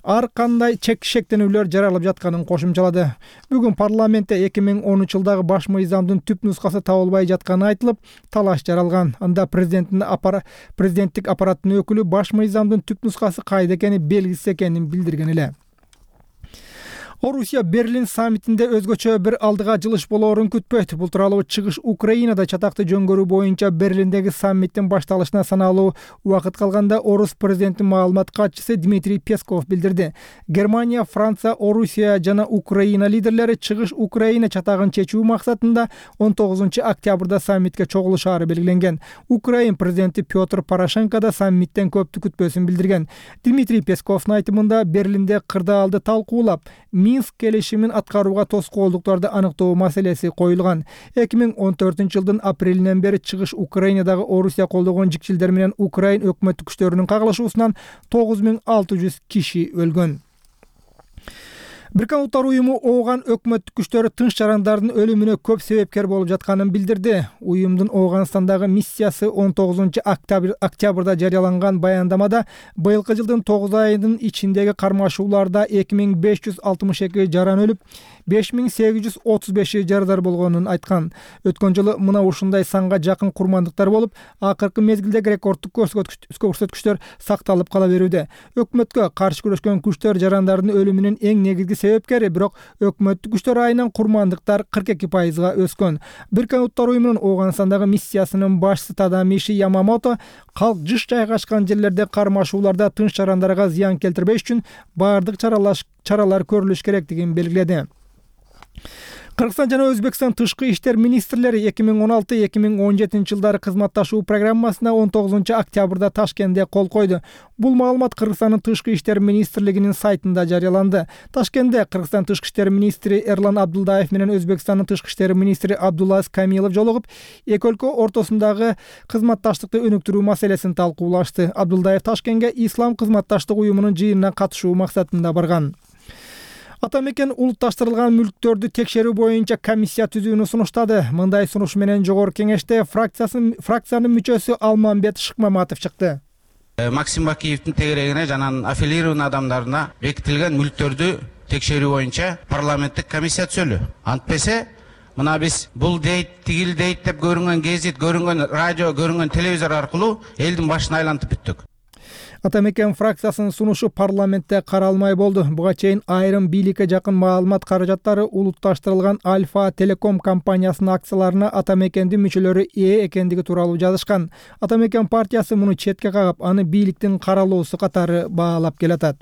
ар кандай шектенүүлөр жаралып жатканын кошумчалады. Бүгүн парламентте 2010 жылдагы баш мыйзамдын түп нускасы табылбай жатканы айтылып, талаш жаралган. Анда президенттик аппараттын өкүлү баш мыйзамдын түп нускасы кайда экени белгисиз экенин билдирген эле. Орусия Берлин саммитинде өзгөчө бир алдыга жылыш болоорун күтпөйт. Бул тууралуу чыгыш Украинада чатакты жөнгөрүү боюнча Берлиндеги саммиттин башталышына саналуу убакыт калганда орус президентинин маалымат катчысы Дмитрий Песков билдирди. Германия, Франция, Орусия жана Украина лидерлери чыгыш Украина чатагын чечүү максатында 19 октябрда саммитке чогулушаары белгиленген. Украин президенти Петр Порошенко да саммиттен көптү күтпөсүн билдирген. Дмитрий Песковдун айтымында Берлинде кырдаалды талкуулап, Минск келишимин аткарууга тоскоолдуктарды аныктоо маселеси коюлган. 2014 жылдын апрелинен бери чыгыш Украинадагы Орусия колдогон жикчилдер менен Украин өкмөттүк күчтөрүнүн кагылышуусунан 9600 киши өлгөн. Бириккен Улуттар уюму ооган өкмөттүк күчтөрү тынч жарандардын өлүмүнө көп себепкер болуп жатканын билдирди. Уюмдун Ооганстандагы миссиясы 19-октябрда жарыяланган баяндамада быйылкы жылдын 9 айынын ичиндеги кармашууларда 2562 жаран өлүп, 5835 жарадар болгонун айткан. Өткөн жылы мына ушундай санга жакын курмандыктар болуп, акыркы мезгилдеги рекордтук көрсөткүчтөр сакталып кала берүүдө. Өкмөткө каршы күрөшкөн күчтөр жарандардын өлүмүнүн эң негизги себепкери, бирок өкмөттүк күчтөр айынан курмандыктар 42%га өскөн. Бириккен Улуттар уюмунун Ооганстандагы миссиясынын башчысы Тадамиши Ямамото калк жыш жайгашкан жерлерде кармашууларда тынч жарандарга зыян келтирбеш үчүн баардык чаралар көрүлүш керектигин белгиледи. Кыргызстан жана Өзбекстан тышкы иштер министрлери 2016-2017 жылдары кызматташуу программасына 19-октябрда Ташкентте кол койду. Бул маалымат Кыргызстандын тышкы иштер министрлигинин сайтында жарыяланды. Ташкентте Кыргызстан тышкы иштер министри Эрлан Абдулдаев менен Өзбекстандын тышкы иштер министри Абдуллаз Камилов жолугуп, эки өлкө ортосундагы кызматташтыкты өнүктүрүү маселесин талкуулашты. Абдулдаев Ташкентке Ислам кызматташтык уюмунун жыйынына катышуу максатында барган. Атамекен улутташтырылган мүлктөрдү текшерүү боюнча комиссия түзүүнү сунуштады. Мындай сунуш менен жогорку кеңеште фракциянын мүчөсү Алмамбет Шыкмаматов чыкты. Максим Бакиевдин тегерегине жана аффилированный адамдарына бекитилген мүлктөрдү текшерүү боюнча парламенттик комиссия түзөлү. Антпесе мына биз бул дейт, тигил дейт деп көрүнгөн гезит, көрүнгөн радио, көрүнгөн телевизор аркылуу элдин башын айлантып бүттүк. Атамекен фракциясынын сунушу парламентте каралмай болду. Буга чейин айрым бийликке жакын маалымат каражаттары улутташтырылган Альфа Телеком компаниясынын акцияларына Атамекендин мүчөлөрү ээ экендиги тууралуу жазышкан. Атамекен партиясы муну четке кагып, аны бийликтин каралоосу катары баалап келатат.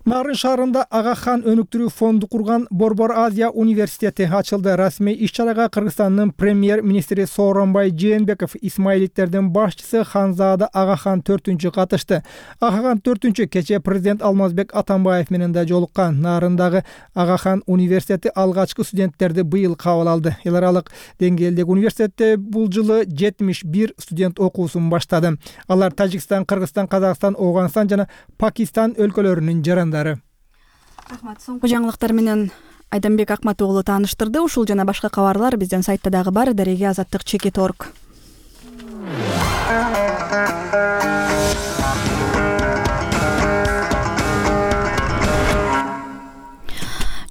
Нарын шаарында Ага хан өнүктүрүү фонду курган Борбор Азия университети ачылды. Расмий иш-чарага Кыргызстандын премьер-министри Сооронбай Жээнбеков, исмаилиттердин башчысы Ханзада Ага хан 4-чү катышты. Ага хан 4-чү кечээ президент Алмазбек Атамбаев менен да жолуккан. Нарындагы Ага хан университети алгачкы студенттерди быйыл кабыл алды. Эл аралык деңгээлдеги университетте бул жылы 71 студент окуусун баштады. Алар Тажикстан, Кыргызстан, Казакстан, Ооганстан жана Пакистан өлкөлөрүнүн жарандары. Рахмат. Соңку жаңылыктар менен Айданбек Акмат уулу тааныштырды. Ушул жана башка кабарлар биздин сайтта дагы бар. Дареге Азаттык @org.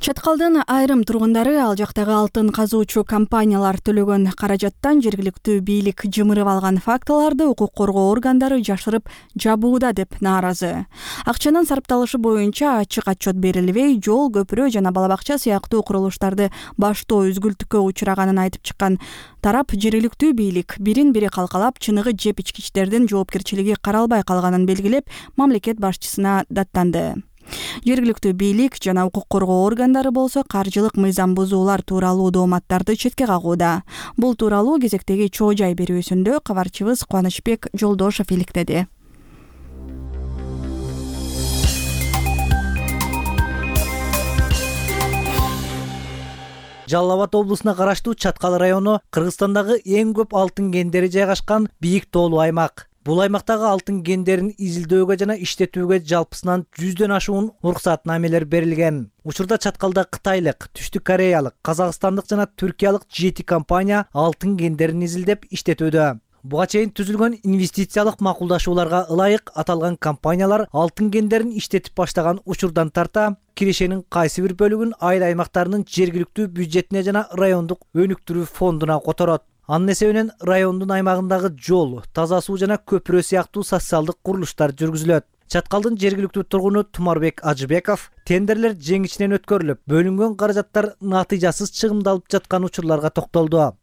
Чаткалдын айрым тургундары ал жактагы алтын казуучу компаниялар төлөгөн каражаттан жергиликтүү бийлик жымырып алган фактыларды укук коргоо органдары жашырып жабууда деп нааразы. Акчанын сарпталышы боюнча ачык отчет берилбей, жол, көпүрө жана бала бакча сыяктуу курулуштарды баштоо үзгүлтүккө учураганын айтып чыккан тарап жергиликтүү бийлик бирин-бири калкалап, чыныгы жеп ичкичтердин жоопкерчилиги каралбай калганын белгилеп, мамлекет башчысына даттанды. Жергиликтүү бийлик жана укук коргоо органдары болсо каржылык мыйзам бузуулар тууралуу дооматтарды четке кагууда. Бул тууралуу кезектеги чоо жай берүүсүндө кабарчыбыз Кубанычбек Жолдошов иликтеди. Жалал Абад облусуна караштуу Чаткал району Кыргызстандагы эң көп алтын кендери жайгашкан бийик тоолуу аймак. Бул аймактагы алтын кендерин изилдөөгө жана иштетүүгө жалпысынан 100дөн ашуун уруксатнамелер берилген. Учурда Чаткалда кытайлык, түштүк кореялык, казакстандык жана түркиялык 7 компания алтын кендерин изилдеп иштетүүдө. Буга чейин түзүлгөн инвестициялык макулдашууларга ылайык аталган компаниялар алтын кендерин иштетип баштаган учурдан тарта кирешенин кайсы бир бөлүгүн айыл аймактарынын жергиликтүү бюджетине жана райондук өнүктүрүү фондуна которот. Анын эсебинен райондун аймагындагы жол, таза суу жана көпүрө сыяктуу социалдык курулуштар жүргүзүлөт. Чаткалдын жергиликтүү тургуну Тумарбек Ажыбеков тендерлер жеңишинен өткөрүлүп, бөлүнгөн каражаттар натыйжасыз чыгымдалып жаткан учурларга токтолду.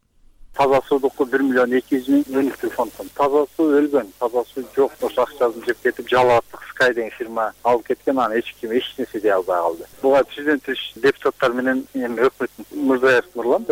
Таза суудук 1 миллион 200 миң өнүктүрүү фондун. Таза суу өлгөн, таза суу жок, ошо акчасын жеп кетип, Жалал Абадтык Sky деген фирма алып кеткен, аны эч ким эч нерсе дей албай калды. Буга президенттик депутаттар менен өкмөт Мырзаев Нурлан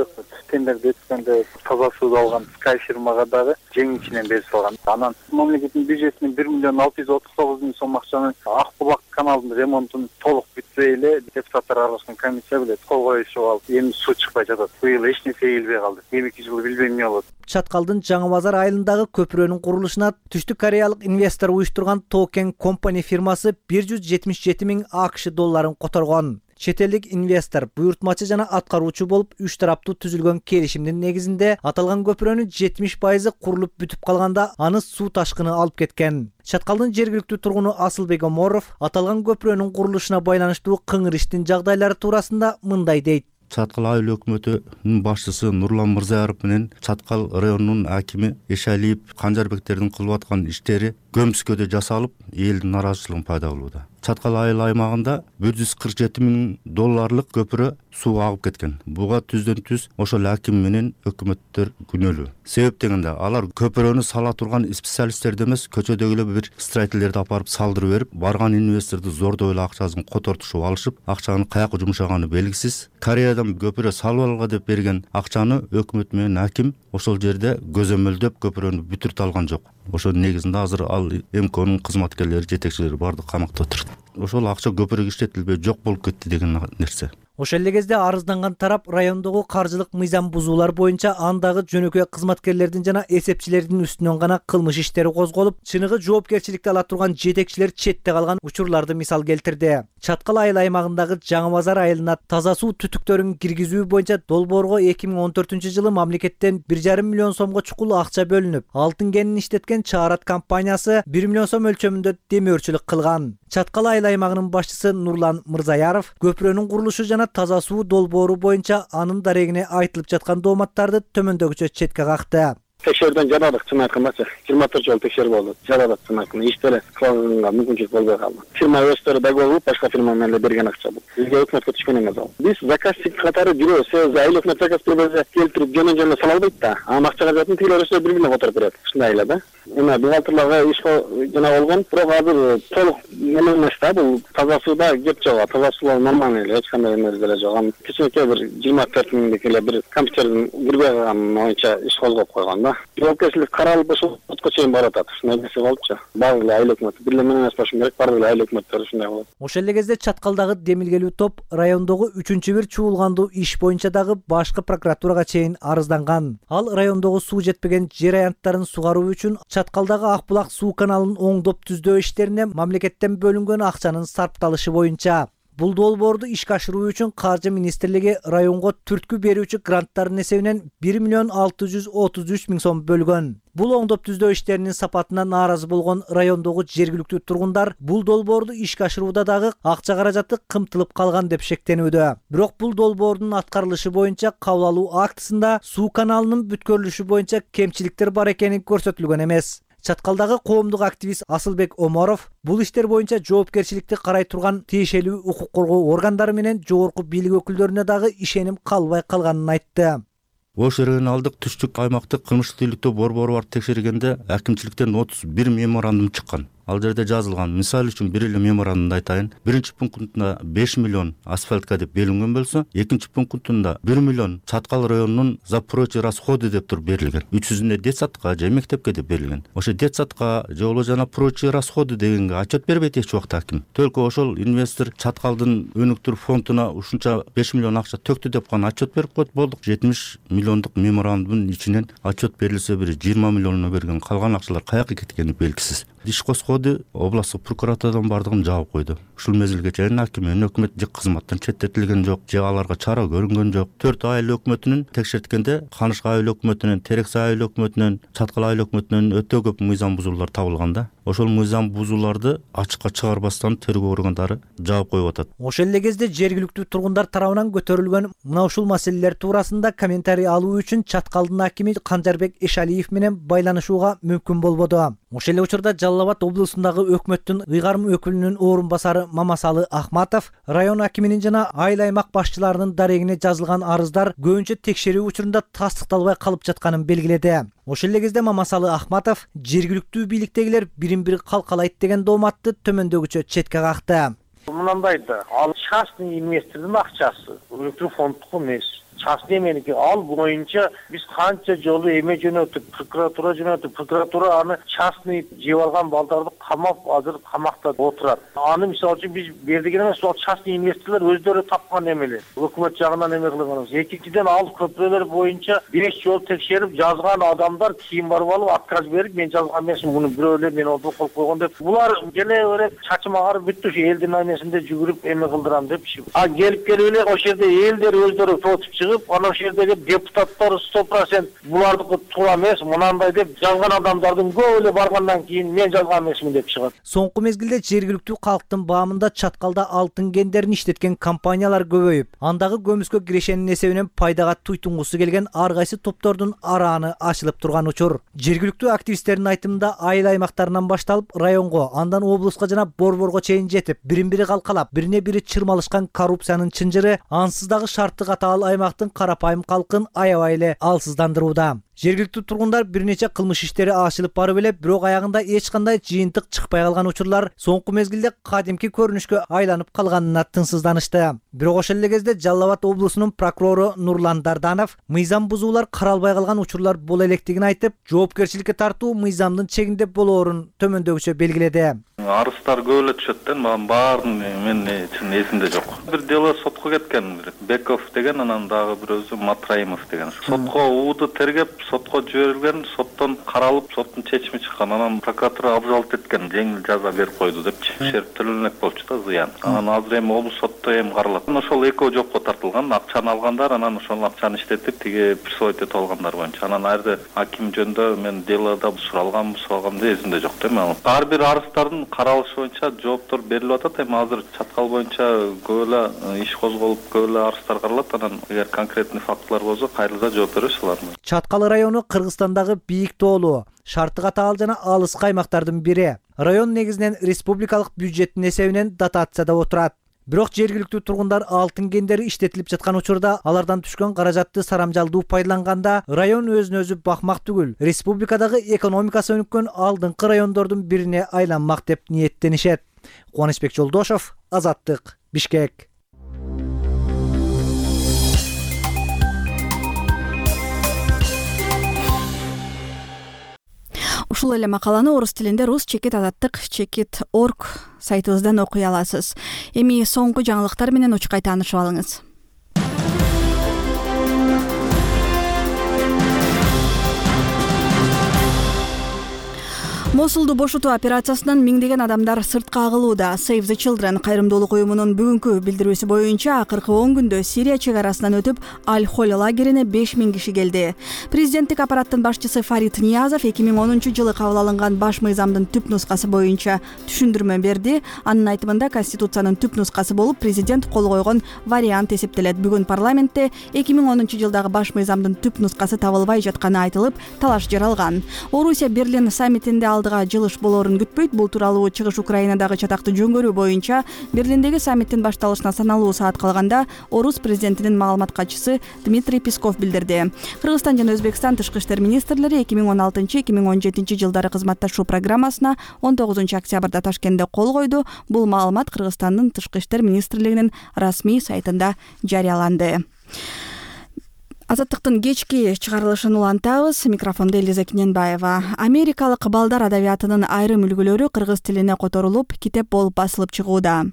тендерди өткөндө таза сууду алган Sky фирмага дагы жеңишинен берип салган. Анан мамлекеттин бюджетинен 1 миллион 639 миң сом акчаны Ак булак каналынын ремонтун толук бүтпөй эле депутаттар аралашкан комиссия билет, кол коюшуп алып, эми суу чыкпай жатат. Быйыл эч нерсе ийилбей калды. Эми жыл билбейм эмне болот. Чаткалдын Жаңы базар айылындагы көпүрөнүн курулушуна түштүк кореялык инвестор уюштурган Токен Company фирмасы 177 миң АКШ долларын которгон. чет элдик инвестор буйртмачы жана аткаруучу болуп 3 тараптуу түзүлгөн келишимдин негизинде аталган көпүрөнүн 70% курулуп бүтүп калганда аны суу ташкыны алып кеткен. Чаткалдын жергиликтүү тургуну Асылбек Оморов аталган көпүрөнүн курулушуна байланыштуу кыңыр иштин жагдайлары туурасында мындай дейт. Чаткал айыл өкмөтүнүн башчысы Нурлан Мырзаяров менен Чаткал районунун акими Эшалиев Канжарбектердин кылып аткан иштери көмүскөдө жасалып, элдин нааразычылыгын пайда кылууда. Чаткал айыл аймагында $147,000 көпүрө суу агып кеткен. Буга түздөн түз ошол аким менен өкмөттөр күнөөлүү. Себеп дегенде алар көпүрөнү сала турган специалисттерди эмес, көчөдөгү бир строительдерди апарып салдырып берип, барган инвесторду зордой эле акчасын котортушуп алышып, акчанын каяка жумшаганы белгисиз. Кореядан көпүрө салып алга деп берген акчаны өкмөт менен аким ошол жерде көзөмөлдөп көпүрөнү бүтүртө алган жок. Ошонун негизинде азыр ал МКнын кызматкерлери, жетекчилери бардык камакта отурат. Ошол акча көпүрөгө иштетилбей жок болуп кетти деген нерсе. Ошол эле кезде арызданган тарап райондогу каржылык мыйзам бузуулар боюнча андагы жөнөкөй кызматкерлердин жана эсепчилердин үстүнөн гана кылмыш иштери козголуп, чыныгы жоопкерчиликти ала турган жетекчилер четте калган учурларды мисал келтирди. Чаткал айыл аймагындагы Жаңы Базар айылына таза суу түтүктөрүн киргизүү боюнча долбоорго 2014-жылы мамлекеттен 1,5 миллион сомго чукул акча бөлүнүп, алтын кенин иштеткен Чаарат компаниясы 1 миллион сом өлчөмүндө демөөрчүлүк кылган. Чаткал айыл аймагынын башчысы Нурлан Мырзаяров көпүрөнүн курулушу жана таза суу долбоору боюнча анын дарегине айтылып жаткан дооматтарды төмөндөгүчө четке какты. Текшерүүдөн жарадык, чын айтканда 24 жолу текшерүү болду. Жарадык, чын айтканда иштери кылганга мүмкүнчүлүк болбой калды. Фирма өздөрү договор башка фирма менен берген акча бул. Бизге өкмөткө түшкөн эмес ал. Биз заказчик катары жүрөбүз. Себеби айыл өкмөт заказ бербесе келтирип жөн сала албайт да. Анын акчага жатын тигилер өсө 1 миллион которуп берет. Ушундай эле да. Эми бухгалтерлерге иш жана болгон, бирок азыр толук эме эмес да, бул таза сууда кеп жок. Таза суу нормальный эле, эч кандай эме деле жок. Кичинекей бир 24 миңдик эле бир компьютердин кирбей калганы боюнча иш козгоп койгон да. Жоопкерчилик каралып ошол сотко чейин барып атат. Ушундай нерсе болупчу. Баары эле айыл өкмөт, бир эле мен эмес болушум керек, баары эле айыл өкмөттөр ушундай болот. Ошол эле кезде Чаткалдагы демилгелүү топ райондогу 3-бир чуулгандуу иш боюнча дагы башкы прокуратурага чейин арызданган. Ал райондогу суу жетпеген жер аянттарын сугаруу үчүн Чаткалдагы Акбулак суу каналын оңдоп түздөө иштерине мамлекеттен бөлүнгөн акчанын сарпталышы боюнча. Бул долбоорду ишке ашыруу үчүн Каржы министрлиги районго түрткү берүүчү гранттардын эсебинен 1,633,000 сом бөлгөн. Бул оңдоп түздөө иштеринин сапатына нааразы болгон райондогу жергиликтүү тургундар бул долбоорду ишке ашырууда дагы акча каражаты кымтылып калган деп шектенүүдө. Бирок бул долбоордун аткарылышы боюнча кабыл алуу актысында суу каналынын бүткөрүлүшү боюнча кемчиликтер бар экени көрсөтүлгөн эмес. Чаткалдагы коомдук активист Асылбек Оморов бул иштер боюнча жоопкерчиликти карай турган тиешелүү укук коргоо органдары менен жогорку бийлик өкүлдөрүнө дагы ишеним калбай калганын айтты. Ош регионалдык түштүк аймактык кылмыштык тейликтөө борбору бар текшергенде акимчиликтен 31 меморандум чыккан. Ал жерде жазылган. Мисалы үчүн бир эле меморандумду айтайын. Биринчи пунктунда 5 миллион асфальтка деп белинген болсо, экинчи пунктунда 1 миллион Чаткал районунун за прочие расходы деп туруп берилген. 300-үнө детсадка же мектепке деп берилген. Ошо детсадка же болбосо жана прочие расходы дегенге отчет бербейт эч убакта аким. Только ошол инвестор Чаткалдын өнүктүрүү фондуна ушунча 5 миллион акча төктү деп гана отчет берип койду, болдук. 70 миллиондук меморандумдун ичинен отчет берилсе бир 20 миллионуна берген, калган акчалар каяка кеткени белгисиз. Иш козгоду, областык прокуратурадан бардыгын жаап койду. Ушул мезгилге чейин аким менен өкмөт же кызматтан четтетилген жок, же аларга чара көрүнгөн жок. 4 айыл өкмөтүнүн текшерткенде Канышка айыл өкмөтүнөн, Терексе айыл өкмөтүнөн, Чаткал айыл өкмөтүнөн өтө көп мыйзам бузуулар табылган да. Ошол мыйзам бузууларды ачыкка чыгарбастан тергөө органдары жаап коюп атат. Ошол эле кезде жергиликтүү тургундар тарабынан көтөрүлгөн мына ушул маселелер туурасында комментарий алуу үчүн Чаткалдын акими Канжарбек Эшалиев менен байланышууга мүмкүн болбоду. Ошол эле учурда Жалал Абад облусундагы өкмөттүн ыйгарым өкүлүнүн орун басары Мамасалы Ахматов район акиминин жана айыл аймак башчыларынын дарегине жазылган арыздар көбүнчө текшерүү учурунда тастыкталбай калып жатканын белгиледи. Ошол эле кезде Мамасалы Ахматов жергиликтүү бийликтегилер бирин-бири калкалайт деген дооматты төмөндөгүчө четке какты. Мынандай да, ал частный инвестордун акчасы, өлкө фондтук эмес. частный эменики. Ал боюнча биз канча жолу эме жөнөттүк, прокуратура жөнөттүк. Прокуратура аны частный жеп алган балдарды камап, азыр камакта отурат. Аны мисалы үчүн биз бердик эмес, ал частный инвесторлор өздөрү тапкан эмелер. Өкмөт жагынан эме кылганбыз. Экинчиден ал көпүрөлөр боюнча 5 жол текшерип жазган адамдар кийин барып алып отказ берип, мен жазган эмесмин, муну бирөөлөр мен ордо коюп койгон деп. Булар келе берип чачым агарып бүттү, элдин аймесинде жүгүрүп эме кылдырам деп. А келип эле ошол жерде элдер өздөрү тотуп чыгып, анан ошол жердеги депутаттар 100% булардыкы туура эмес, мынандай деп жазган адамдардын көп эле баргандан кийин мен жазган эмесмин деп чыгат. Соңку мезгилде жергиликтүү калктын баамында Чаткалда алтын кендерин иштеткен компаниялар көбөйүп, андагы көмүскө кирешенин эсебинен пайдага туйтунгусу келген ар кайсы топтордун арааны ачылып турган учур. Жергиликтүү активисттердин айтымында айыл аймактарынан башталып районго, андан облуска жана борборго чейин жетип, бирин-бири калкалап, бирине бири чырмалышкан коррупциянын чынжыры ансыз дагы шартты катаал аймактын карапайым калкын аябай эле алсыздандырууда. Жергиликтүү тургундар бир нече кылмыш иштери ачылып барып эле, бирок аягында эч кандай жыйынтык чыкпай калган учурлар соңку мезгилде кадимки көрүнүшкө айланып калганына тынсызданышты. Бирок ошол эле кезде Жалал Абад облусунун прокурору Нурлан Дарданов мыйзам бузуулар каралбай калган учурлар боло электигин айтып, жоопкерчиликке тартуу мыйзамдын чегинде болоорун төмөндөгүчө белгиледи. Арыздар көп эле түшөт да, мага баарын мен чын эсимде жок. Бир дело сотко кеткен, Беков деген, анан дагы бирөөсү Матраимов деген. Сотко ууду тергеп, сотко жиберилген, соттон каралып, соттун чечими чыккан. Анан прокуратура абзалт эткен, жеңил жаза берип койду депчи. Шерп төлөнөк болчу да, зыян. Анан азыр эми облус сотто эми каралат. Ошол экөө жокко тартылган, акчаны алгандар, анан ошол акчаны иштетип, тиги присвоить этип алгандар боюнча. Анан айрда аким жөнүндө мен делода суралгам деп эсимде жок да эми. Ар бир арыздардын каралышы боюнча жооптор берилип атат. Эми азыр Чаткал боюнча көп эле иш козголуп, көп эле арыздар каралат. Анан эгер конкретный фактылар болсо, кайрылса жооп беребиз аларга. Чаткал району Кыргызстандагы бийик тоолуу, шартты катаал жана алыскы аймактардын бири. Район негизинен республикалык бюджеттин эсебинен дотацияда отурат. Бирок жергиликтүү тургундар алтын кендери иштетилип жаткан учурда алардан түшкөн каражатты сарамжалдуу пайдаланганда район өзүн өзү бакмак түгүл, республикадагы экономикасы өнүккөн алдыңкы райондордун бирине айланмак деп ниеттенишет. Кубанычбек Жолдошов, Азаттык, Бишкек. Ушул эле макаланы орус тилинде rus-azattik.org сайтыбыздан окуй аласыз. Эми соңку жаңылыктар менен учкай таанышып алыңыз. Мосулду бошотуу операциясынан миңдеген адамдар сыртка агылууда. Save the Children кайрымдуулук уюмунун бүгүнкү билдирүүсү боюнча акыркы 10 күндө Сирия чек арасынан өтүп, Аль-Холь лагерине 5000 киши келди. Президенттик аппараттын башчысы Фарид Ниязов 2010-жылы кабыл алынган баш мыйзамдын түп нускасы боюнча түшүндүрмө берди. Анын айтымында Конституциянын түп нускасы болуп, президент кол койгон вариант эсептелет. Бүгүн парламентте 2010-жылдагы баш мыйзамдын түп нускасы табылбай жатканы айтылып, талаш жаралган. Орусия Берлин саммитинде жылыш болоорун күтпөйт. Бул тууралуу чыгыш Украинадагы чатактуу жөнгөрүү боюнча Берлиндеги саммиттин башталышына саналуу саат калганда орус президентинин маалымат катчысы Дмитрий Песков билдирди. Кыргызстан жана Өзбекстан тышкы иштер министрлери 2016-2017 жылдары кызматташуу программасына 19 октябрда Ташкентте кол койду. Бул маалымат Кыргызстандын тышкы иштер министрлигинин расмий сайтында жарыяланды. Азаттыктын кечки чыгарылышын улантабыз. Микрофондо Элиза Кененбаева. Америкалык балдар адабиятынын айрым үлгүлөрү кыргыз тилине которулуп, китеп болуп басылып чыгууда.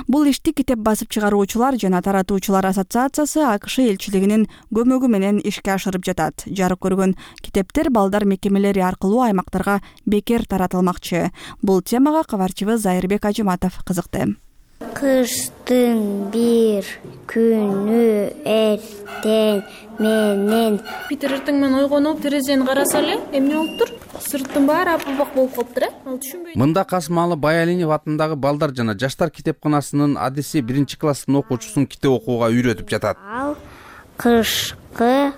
Бул ишти китеп басып чыгаруучулар жана таратуучулар ассоциациясы АКШ элчилигинин көмөгү менен ишке ашырып жатат. Жарык көргөн китептер балдар мекемелери аркылуу аймактарга бекер таратылмакчы. Бул темага кабарчыбыз Зайырбек Ажыматов кызыкты. Кыштын бир күнү эртең менен Питер эртең менен ойгонуп терезени караса эле эмне болуптур? Сырттын баары апылбак болуп калыптыр, Ал түшүнбөйт. Мында Касымалы Баялинов атындагы балдар жана жаштар китепканасынын адиси 1-класстын окуучусун китеп окууга үйрөтүп жатат. Ал кышкы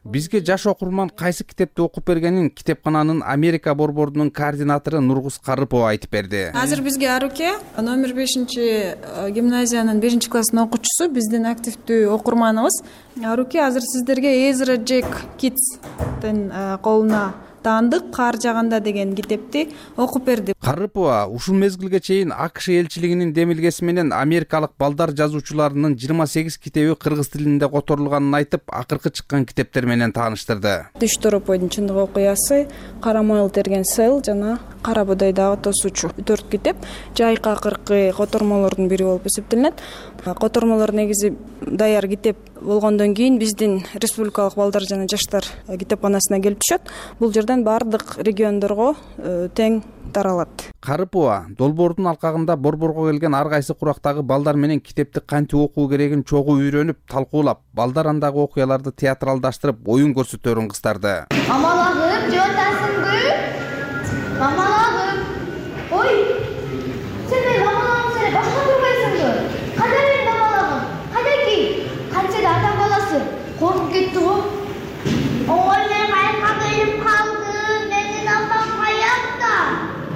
Бизге жаш окурман кайсы китепти окуп бергенин китепкананын Америка борборунун координатору Нургуз Карыпова айтып берди. Азыр бизге Аруке номер 5-гимназиянын 1-класстын окуучусу, биздин активдүү окурманыбыз. Аруке азыр сиздерге Ezra Jack Kids'тен колуна таандык кар жааганда деген китепти окуп берди. Карыпова ушул мезгилге чейин АКШ элчилигинин демилгеси менен америкалык балдар жазуучуларынын 28 китеби кыргыз тилинде которулганын айтып, акыркы чыккан китептер менен тааныштырды. Түш Торопойдун чындык окуясы, Кара Мойл терген сел жана Кара Бодойдагы тосуучу 4 китеп жайкы акыркы котормолордун бири болуп эсептелинет. Котормолор негизи даяр китеп болгондон кийин биздин республикалык балдар жана жаштар китепканасына келип түшөт. Бул жерден бардык региондорго тең таралат. Карыпова долбоордун алкагында борборго келген ар кайсы курактагы балдар менен китепти кантип окуу керегин чогуу үйрөнүп, талкуулап, балдар андагы окуяларды театралдаштырып, оюн көрсөтөрүн кыздарды. Мамалагым, жотасыңбы? Мамалагым. Ой, сен мен мамалагым сен башка турбайсыңбы? Кайда мен мамалагым? Кайдаки? Канчада адам баласы? Коркуп кетти го. Ой, мен кайыкка келип калдым. Менин апам каякта?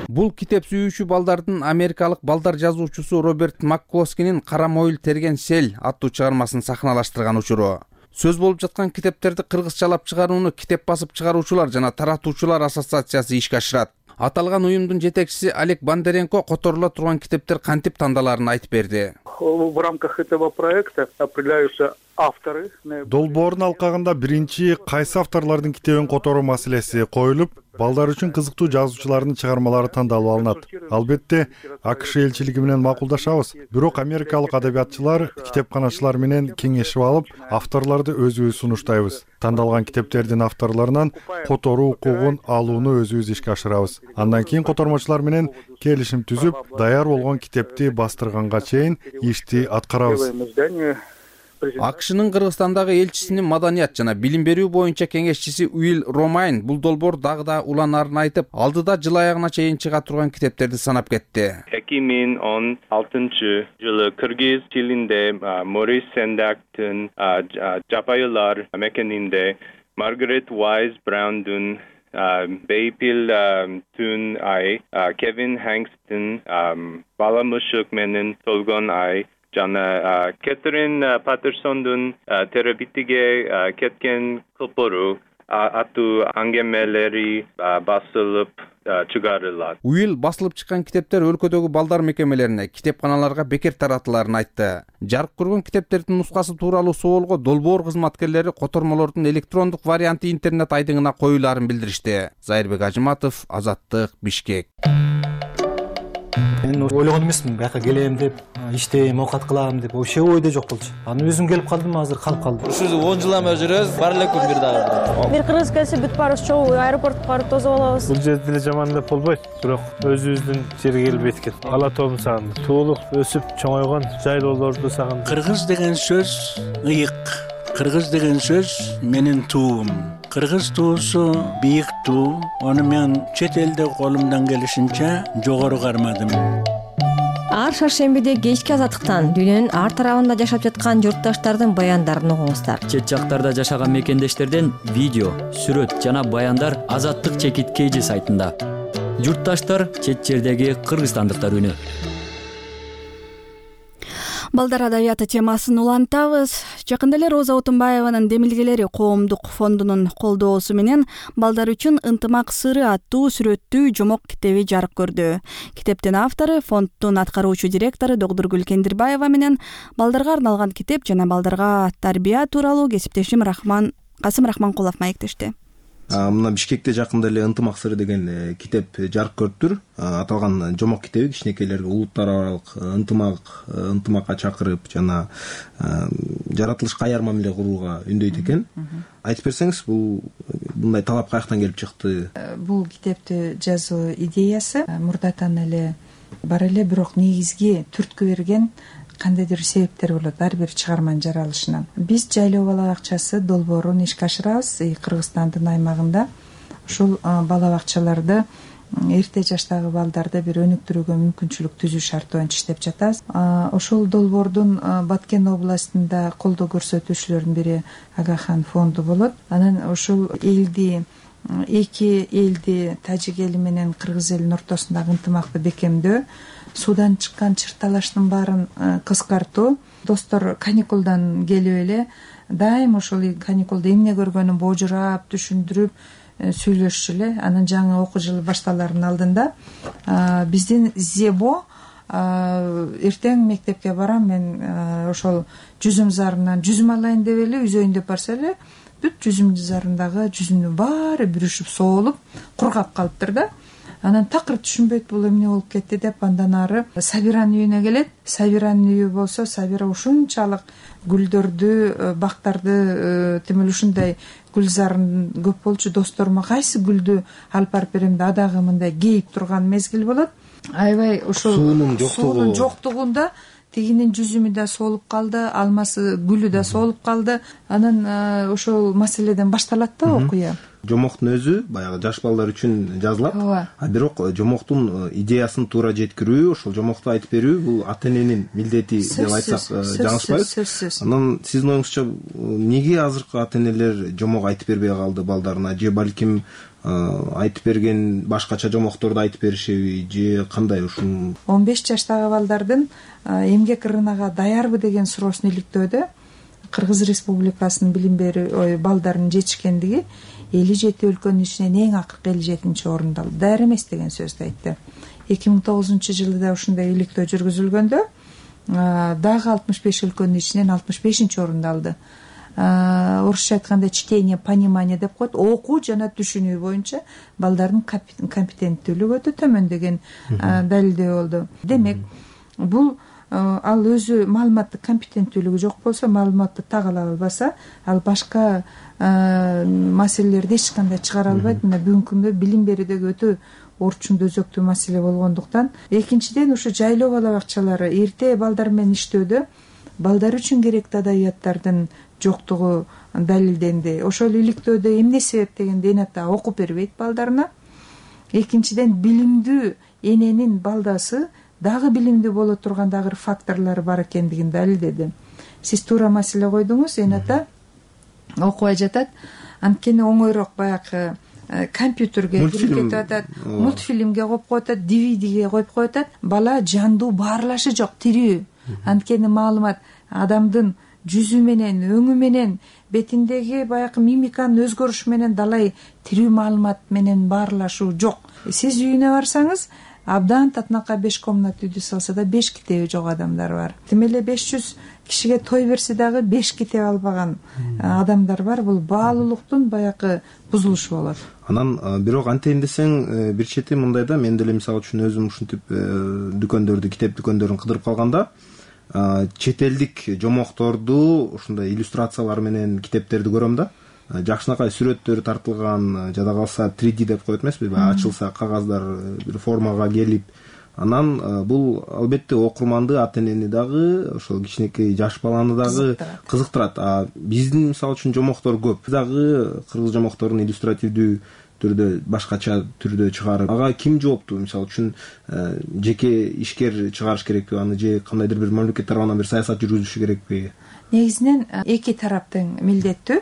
Бул китеп сүйүүчү балдардын америкалык балдар жазуучусу Роберт Макклоскинин Кара Мойл терген сел аттуу чыгармасын сахналаштырган учуру. Сөз болуп жаткан китептерди кыргызчалап чыгарууну Китеп басып чыгаруучулар жана таратуучулар ассоциациясы ишке ашырат. Аталган уюмдун жетекчиси Олег Бондаренко которула турган китептер кантип тандалаарын айтып берди. В рамках этого проекта определяются авторы. Долбоордун алкагында биринчи кайсы авторлордун китебин которуу маселеси коюлуп, балдар үчүн кызыктуу жазуучулардын чыгармалары тандалып алынат. Албетте, АКШ элчилиги менен макулдашабыз. Бирок америкалык адабиятчылар, китепканачылар менен кеңешип алып, авторлорду өзүбүз сунуштайбыз. Тандалган китептердин авторлорунан которуу укугун алууну өзүбүз ишке ашырабыз. Андан кийин котормочулар менен келишим түзүп, даяр болгон китепти бастырганга чейин ишти аткарабыз. АКШнын Кыргызстандагы элчисинин маданият жана билим берүү боюнча кеңешчиси Уилл Ромайн бул долбоор дагы да уланаарын айтып, алдыда жыл аягына чейин чыга турган китептерди санап кетти. 2016-жылы кыргыз тилинде Морис Сендактын Жапайылар мекенинде, Маргарет Уайз Браундун Бейпил Түн ай, Кевин Хэнкстин Бала мышык менен толгон ай жана Кэтрин Паттерсондун терабитиге кеткен кылпору аттуу аңгемелери басылып чыгарылат. Уилл басылып чыккан китептер өлкөдөгү балдар мекемелерине, китепканаларга бекер таратыларын айтты. Жарык көргөн китептердин нускасы тууралуу суолго долбоор кызматкерлери котормолордун электрондук варианты интернет айдыңына коюларын билдиришти. Зайырбек Ажыматов, Азаттык, Бишкек. Мен ойлогон эмесмин, бияка келем деп, иштейм, оокат кылам деп, вообще ойдо жок болчу. Аны өзүм келип калдым, азыр калып калдым. Ушул 10 жылдан бери жүрөбүз, бар элекпи бир дагы. Бир кыргыз келсе бүт барыбыз чогуу аэропортко барып тосуп алабыз. Бул жерде деле жаман деп болбойт, бирок өзүбүздүн жерге келип эткен. Ала тоомду сагындым. Туулуп, өсүп, чоңойгон жайлоолорду сагындым. Кыргыз деген сөз ыйык. Кыргыз деген сөз менин туум. Кыргыз туусу бийик туу. Аны мен чет элде колумдан келишинче жогору кармадым. Ар шаршембиде кечки азаттыктан дүйнөнүн ар тарабында жашап жаткан журтташтардын баяндарын угуңуздар. Чет жактарда жашаган мекендештерден видео, сүрөт жана баяндар Азаттык чекит KG сайтында. Журтташтар чет жердеги кыргызстандыктар үнү. Балдар адабияты темасын улантабыз. Жакында эле Роза Отунбаеванын Демилгелери коомдук фондунун колдоосу менен балдар үчүн ынтымак сыры аттуу сүрөттүү жомок китеби жарык көрдү. Китептин автору фонддун аткаруучу директору Догдургүл Кендирбаева менен балдарга арналган китеп жана балдарга тарбия тууралуу кесиптешим Касым Рахманкулов маектешти. Мына Бишкекте жакында эле ынтымак сыры деген китеп жарык көрүптүр. Аталган жомок китеби кичинекейлерге улуттар аралык ынтымакка чакырып жана жаратылышка аяр мамиле курууга үндөйт экен. Айтып берсеңиз, мындай талап каяктан келип чыкты? Бул китепти жазуу идеясы мурдатан эле бар эле, бирок негизги түрткү берген кандайдыр себептер болот ар бир чыгарманын жаралышынан. Биз жайлоо бала бакчасы долбоорун ишке ашырабыз Кыргызстандын аймагында. Ушул бала бакчаларды эрте жаштагы балдарды бир өнүктүрүүгө мүмкүнчүлүк түзүү шарты боюнча иштеп жатабыз. Ошол долбоордун Баткен областында колдоо көрсөтүүчүлөрдүн бири Агахан фонду болот. Анан ошол эки элди, тажик эли менен кыргыз элинин ортосундагы ынтымакты бекемдөө, суудан чыккан чырталаштын баарын кыскартуу, достор каникулдан келип эле дайым ошол каникулда эмне көргөнүн божурап, түшүндүрүп, сүйлөшчү эле. Анан жаңы окуу жылы башталаардын алдында биздин ЗЕБО эртең мектепке барам, мен ошол жүзүм зарынан жүзүм алайын деп эле үзөйүн деп барса эле бүт жүзүм зарындагы жүзүмдүн баары бүрүшүп соолуп кургап калыптыр да. Анан такыр түшүнбөйт бул эмне болуп кетти деп, андан ары Сабиранын үйүнө келет. Сабиранын үйү болсо, Сабира ушунчалык гүлдөрдү, бактарды, тим эле ушундай гүлзарын көп болчу. Досторума кайсы гүлдү алып барып берем да, дагы мындай кейип турган мезгил болот. Аябай ошол суунун жоктугунда тигинин жүзүмү да соолуп калды, алмасы гүлү да соолуп калды. Анан ошол маселеден башталат да окуя. Жомоктун өзү баягы жаш балдар үчүн жазылат. Бирок жомоктун идеясын туура жеткирүү, ошол жомокту айтып берүү бул ата-эненин милдети деп айтсак жаңылышпайбыз. Анан сиздин оюңузча эмнеге азыркы ата-энелер жомок айтып бербей калды балдарына, же балким айтып берген башкача жомокторду айтып беришеби, же кандай? Ушун 15 жаштагы балдардын эмгек рыногуна даярбы деген суроосун иликтөөдө Кыргыз Республикасынын билим берүү балдарынын жетишкендиги 57 өлкөнүн ичинен эң акыркы 57-чи орунда алды. Даяр эмес деген сөздү айтты. 2009-жылы да ушундай иликтөө жүргүзүлгөндө дагы 65 өлкөнүн ичинен 65-чи орунду алды. Орусча айтканда чтение, понимание деп коет. Окуу жана түшүнүү боюнча балдардын компетенттүүлүгү өтө төмөн деген далилдөө болду. Демек, бул ал өзү маалыматтык компетенттүүлүгү жок болсо, маалыматты так ала албаса, ал башка маселелерди эч кандай чыгара албайт. Мына бүгүнкү күндө билим берүүдөгү өтө орчундуу өзөктүү маселе болгондуктан, экинчиден ушу жайлоо бала бакчалары эрте балдар менен иштөөдө балдар үчүн керектүү адабияттардын жоктугу далилденди. Ошол иликтөөдө эмне себеп дегенде эне ата окуп бербейт балдарына. Экинчиден, билимдүү эненин балдасы дагы билимдүү боло турган дагы факторлор бар экендигин далилдеди. Сиз туура маселе койдуңуз, эне ата окубай жатат, анткени оңойрок баягы компьютерге кирип атат, мультфильмге коюп коюп атат, DVD-ге коюп коюп атат. Бала жандуу баарлашы жок, тирүү. Анткени маалымат адамдын жүзү менен, өңү менен, бетиндеги баягы мимиканын өзгөрүшү менен далай тирүү маалымат менен баарлашуу жок. Сиз үйүнө барсаңыз, абдан татынакка 5 комнат үйдү салса да 5 китеби жок адамдар бар. Тим эле 500 кишиге той берсе дагы 5 китеп албаган адамдар бар. Бул баалуулуктун баягы бузулушу болот. Анан бирок антейин десең, бир чети мындай да, мен деле мисалы үчүн өзүм ушинтип дүкөндөрдү, китеп дүкөндөрүн кыдырып калганда, чет элдик жомокторду ушундай иллюстрациялар менен китептерди көрөм да. Жакшынакай сүрөттөр тартылган, жада калса 3D деп коет эмеспи, ачылса кагаздар бир формага келип. Анан бул албетте окурманды, ата-энени дагы, ошол кичинекей жаш баланы дагы кызыктырат. Биздин мисалы үчүн жомоктор көп. Дагы кыргыз жомокторун иллюстративдүү түрдө, башкача түрдө чыгарып, ага ким жооптуу? Мисалы үчүн жеке ишкер чыгарыш керекпи аны, же кандайдыр бир мамлекет тарабынан бир саясат жүргүзүлүшү керекпи? Негизинен эки тараптын милдеттүү.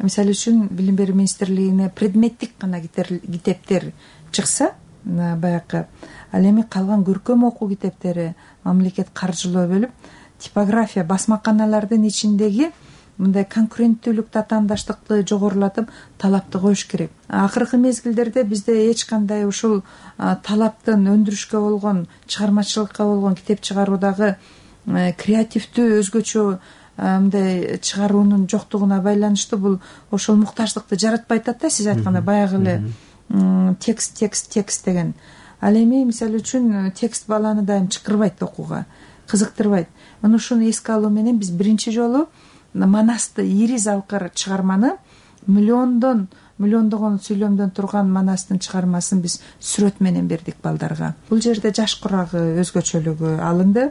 Мисалы үчүн Билим берүү министрлигине предметтик гана китептер чыкса, баягы, ал эми калган көркөм окуу китептери мамлекет каржылоо бөлүп, типография, басмаканалардын ичиндеги мындай конкуренттүүлүк, татаандаштыкты жогорулатып, талапты коюш керек. Акыркы мезгилдерде бизде эч кандай ушул талаптын өндүрүшкө болгон, чыгармачылыкка болгон китеп чыгаруудагы креативдүү, өзгөчө мындай чыгаруунун жоктугуна байланыштуу бул ошол муктаждыкты жаратпай атат да. Сиз айткандай баягы эле текст деген. Ал эми мисалы үчүн текст баланы дайым чакырбайт окууга, кызыктырбайт. Мына ушуну эске алуу менен биз биринчи жолу Манасты, ири залкыр чыгарманы, миллондогон сүйлөмдөн турган Манастын чыгармасын биз сүрөт менен бердик балдарга. Бул жерде жаш курагы өзгөчөлүгү алынды.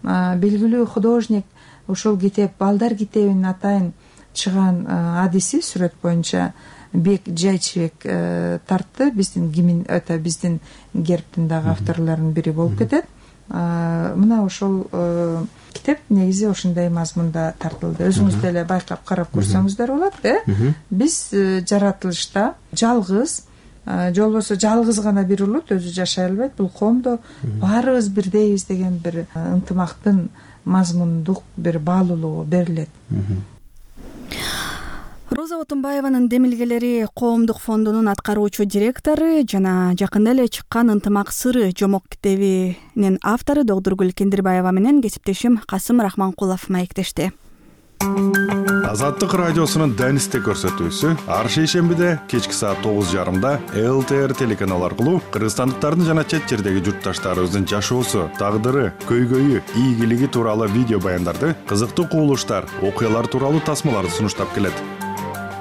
Белгилүү художник ушул китеп, балдар китебин атайын чыган адиси сүрөт боюнча Бек Жайчыбек тартты. Биздин гербтин дагы авторлорунун бири болуп кетет. Мына ошол китеп негизи ошондой мазмунда тартылды. Өзүңүз деле байкап карап көрсөңүздөр болот, Биз жаратылышта жалгыз, же болбосо жалгыз гана бир улут өзү жашай албайт. Бул коомдо баарыбыз бирдейбиз деген бир ынтымактын мазмундук бир баалуулугу берилет. Роза Отунбаеванын демилгелери коомдук фондунун аткаруучу директору жана жакында эле чыккан «Ынтымак сыры» жомок китебинин автору Догдургүл Кендирбаева менен кесиптешим Касым Рахманкулов маектешти. Азаттык радиосунун Данисте көрсөтүүсү ар шейшембиде кечки саат 9:30 ЛТР телеканалы аркылуу кыргызстандыктардын жана чет жердеги журтташтарыбыздын жашоосу, тагдыры, көйгөйү, ийгилиги тууралуу видео баяндарды, кызыктуу кубулуштар, окуялар тууралуу тасмаларды сунуштап келет.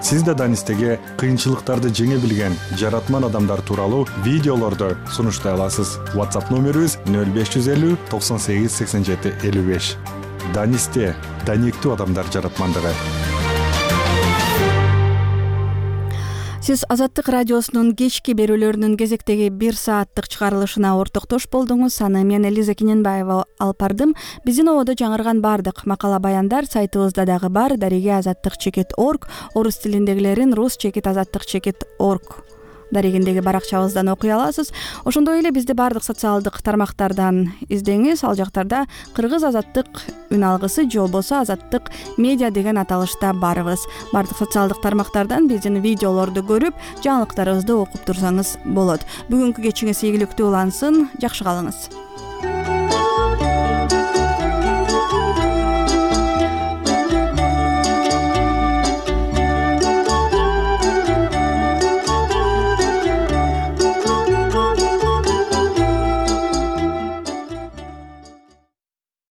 Сиз да Данистеге кыйынчылыктарды жеңе билген жаратман адамдар тууралуу видеолорду сунуштай аласыз. WhatsApp номерибиз 0550 98 87 55. Данисте даниктүү адамдар жаратмандыгы. Сиз Азаттык радиосунун кечки берүүлөрүнүн кезектеги 1 сааттык чыгарылышына ортоктош болдуңуз. Аны мен Элиза Кененбаева алып бардым. Биздин ободо жаңырган бардык макала баяндар сайтыбызда дагы бар. Дареге azattik.org, орус тилиндегилерин rus-azattik.org дарегиндеги баракчабыздан окуй аласыз. Ошондой эле бизди бардык социалдык тармактардан издеңиз. Ал жактарда Кыргыз Азаттык үн алгысы же болбосо Азаттык медиа деген аталышта барбыз. Бардык социалдык тармактардан биздин видеолорду көрүп, жаңылыктарыбызды окуп турсаңыз болот. Бүгүнкү кечиңиз ийгиликтүү улансын. Жакшы калыңыз.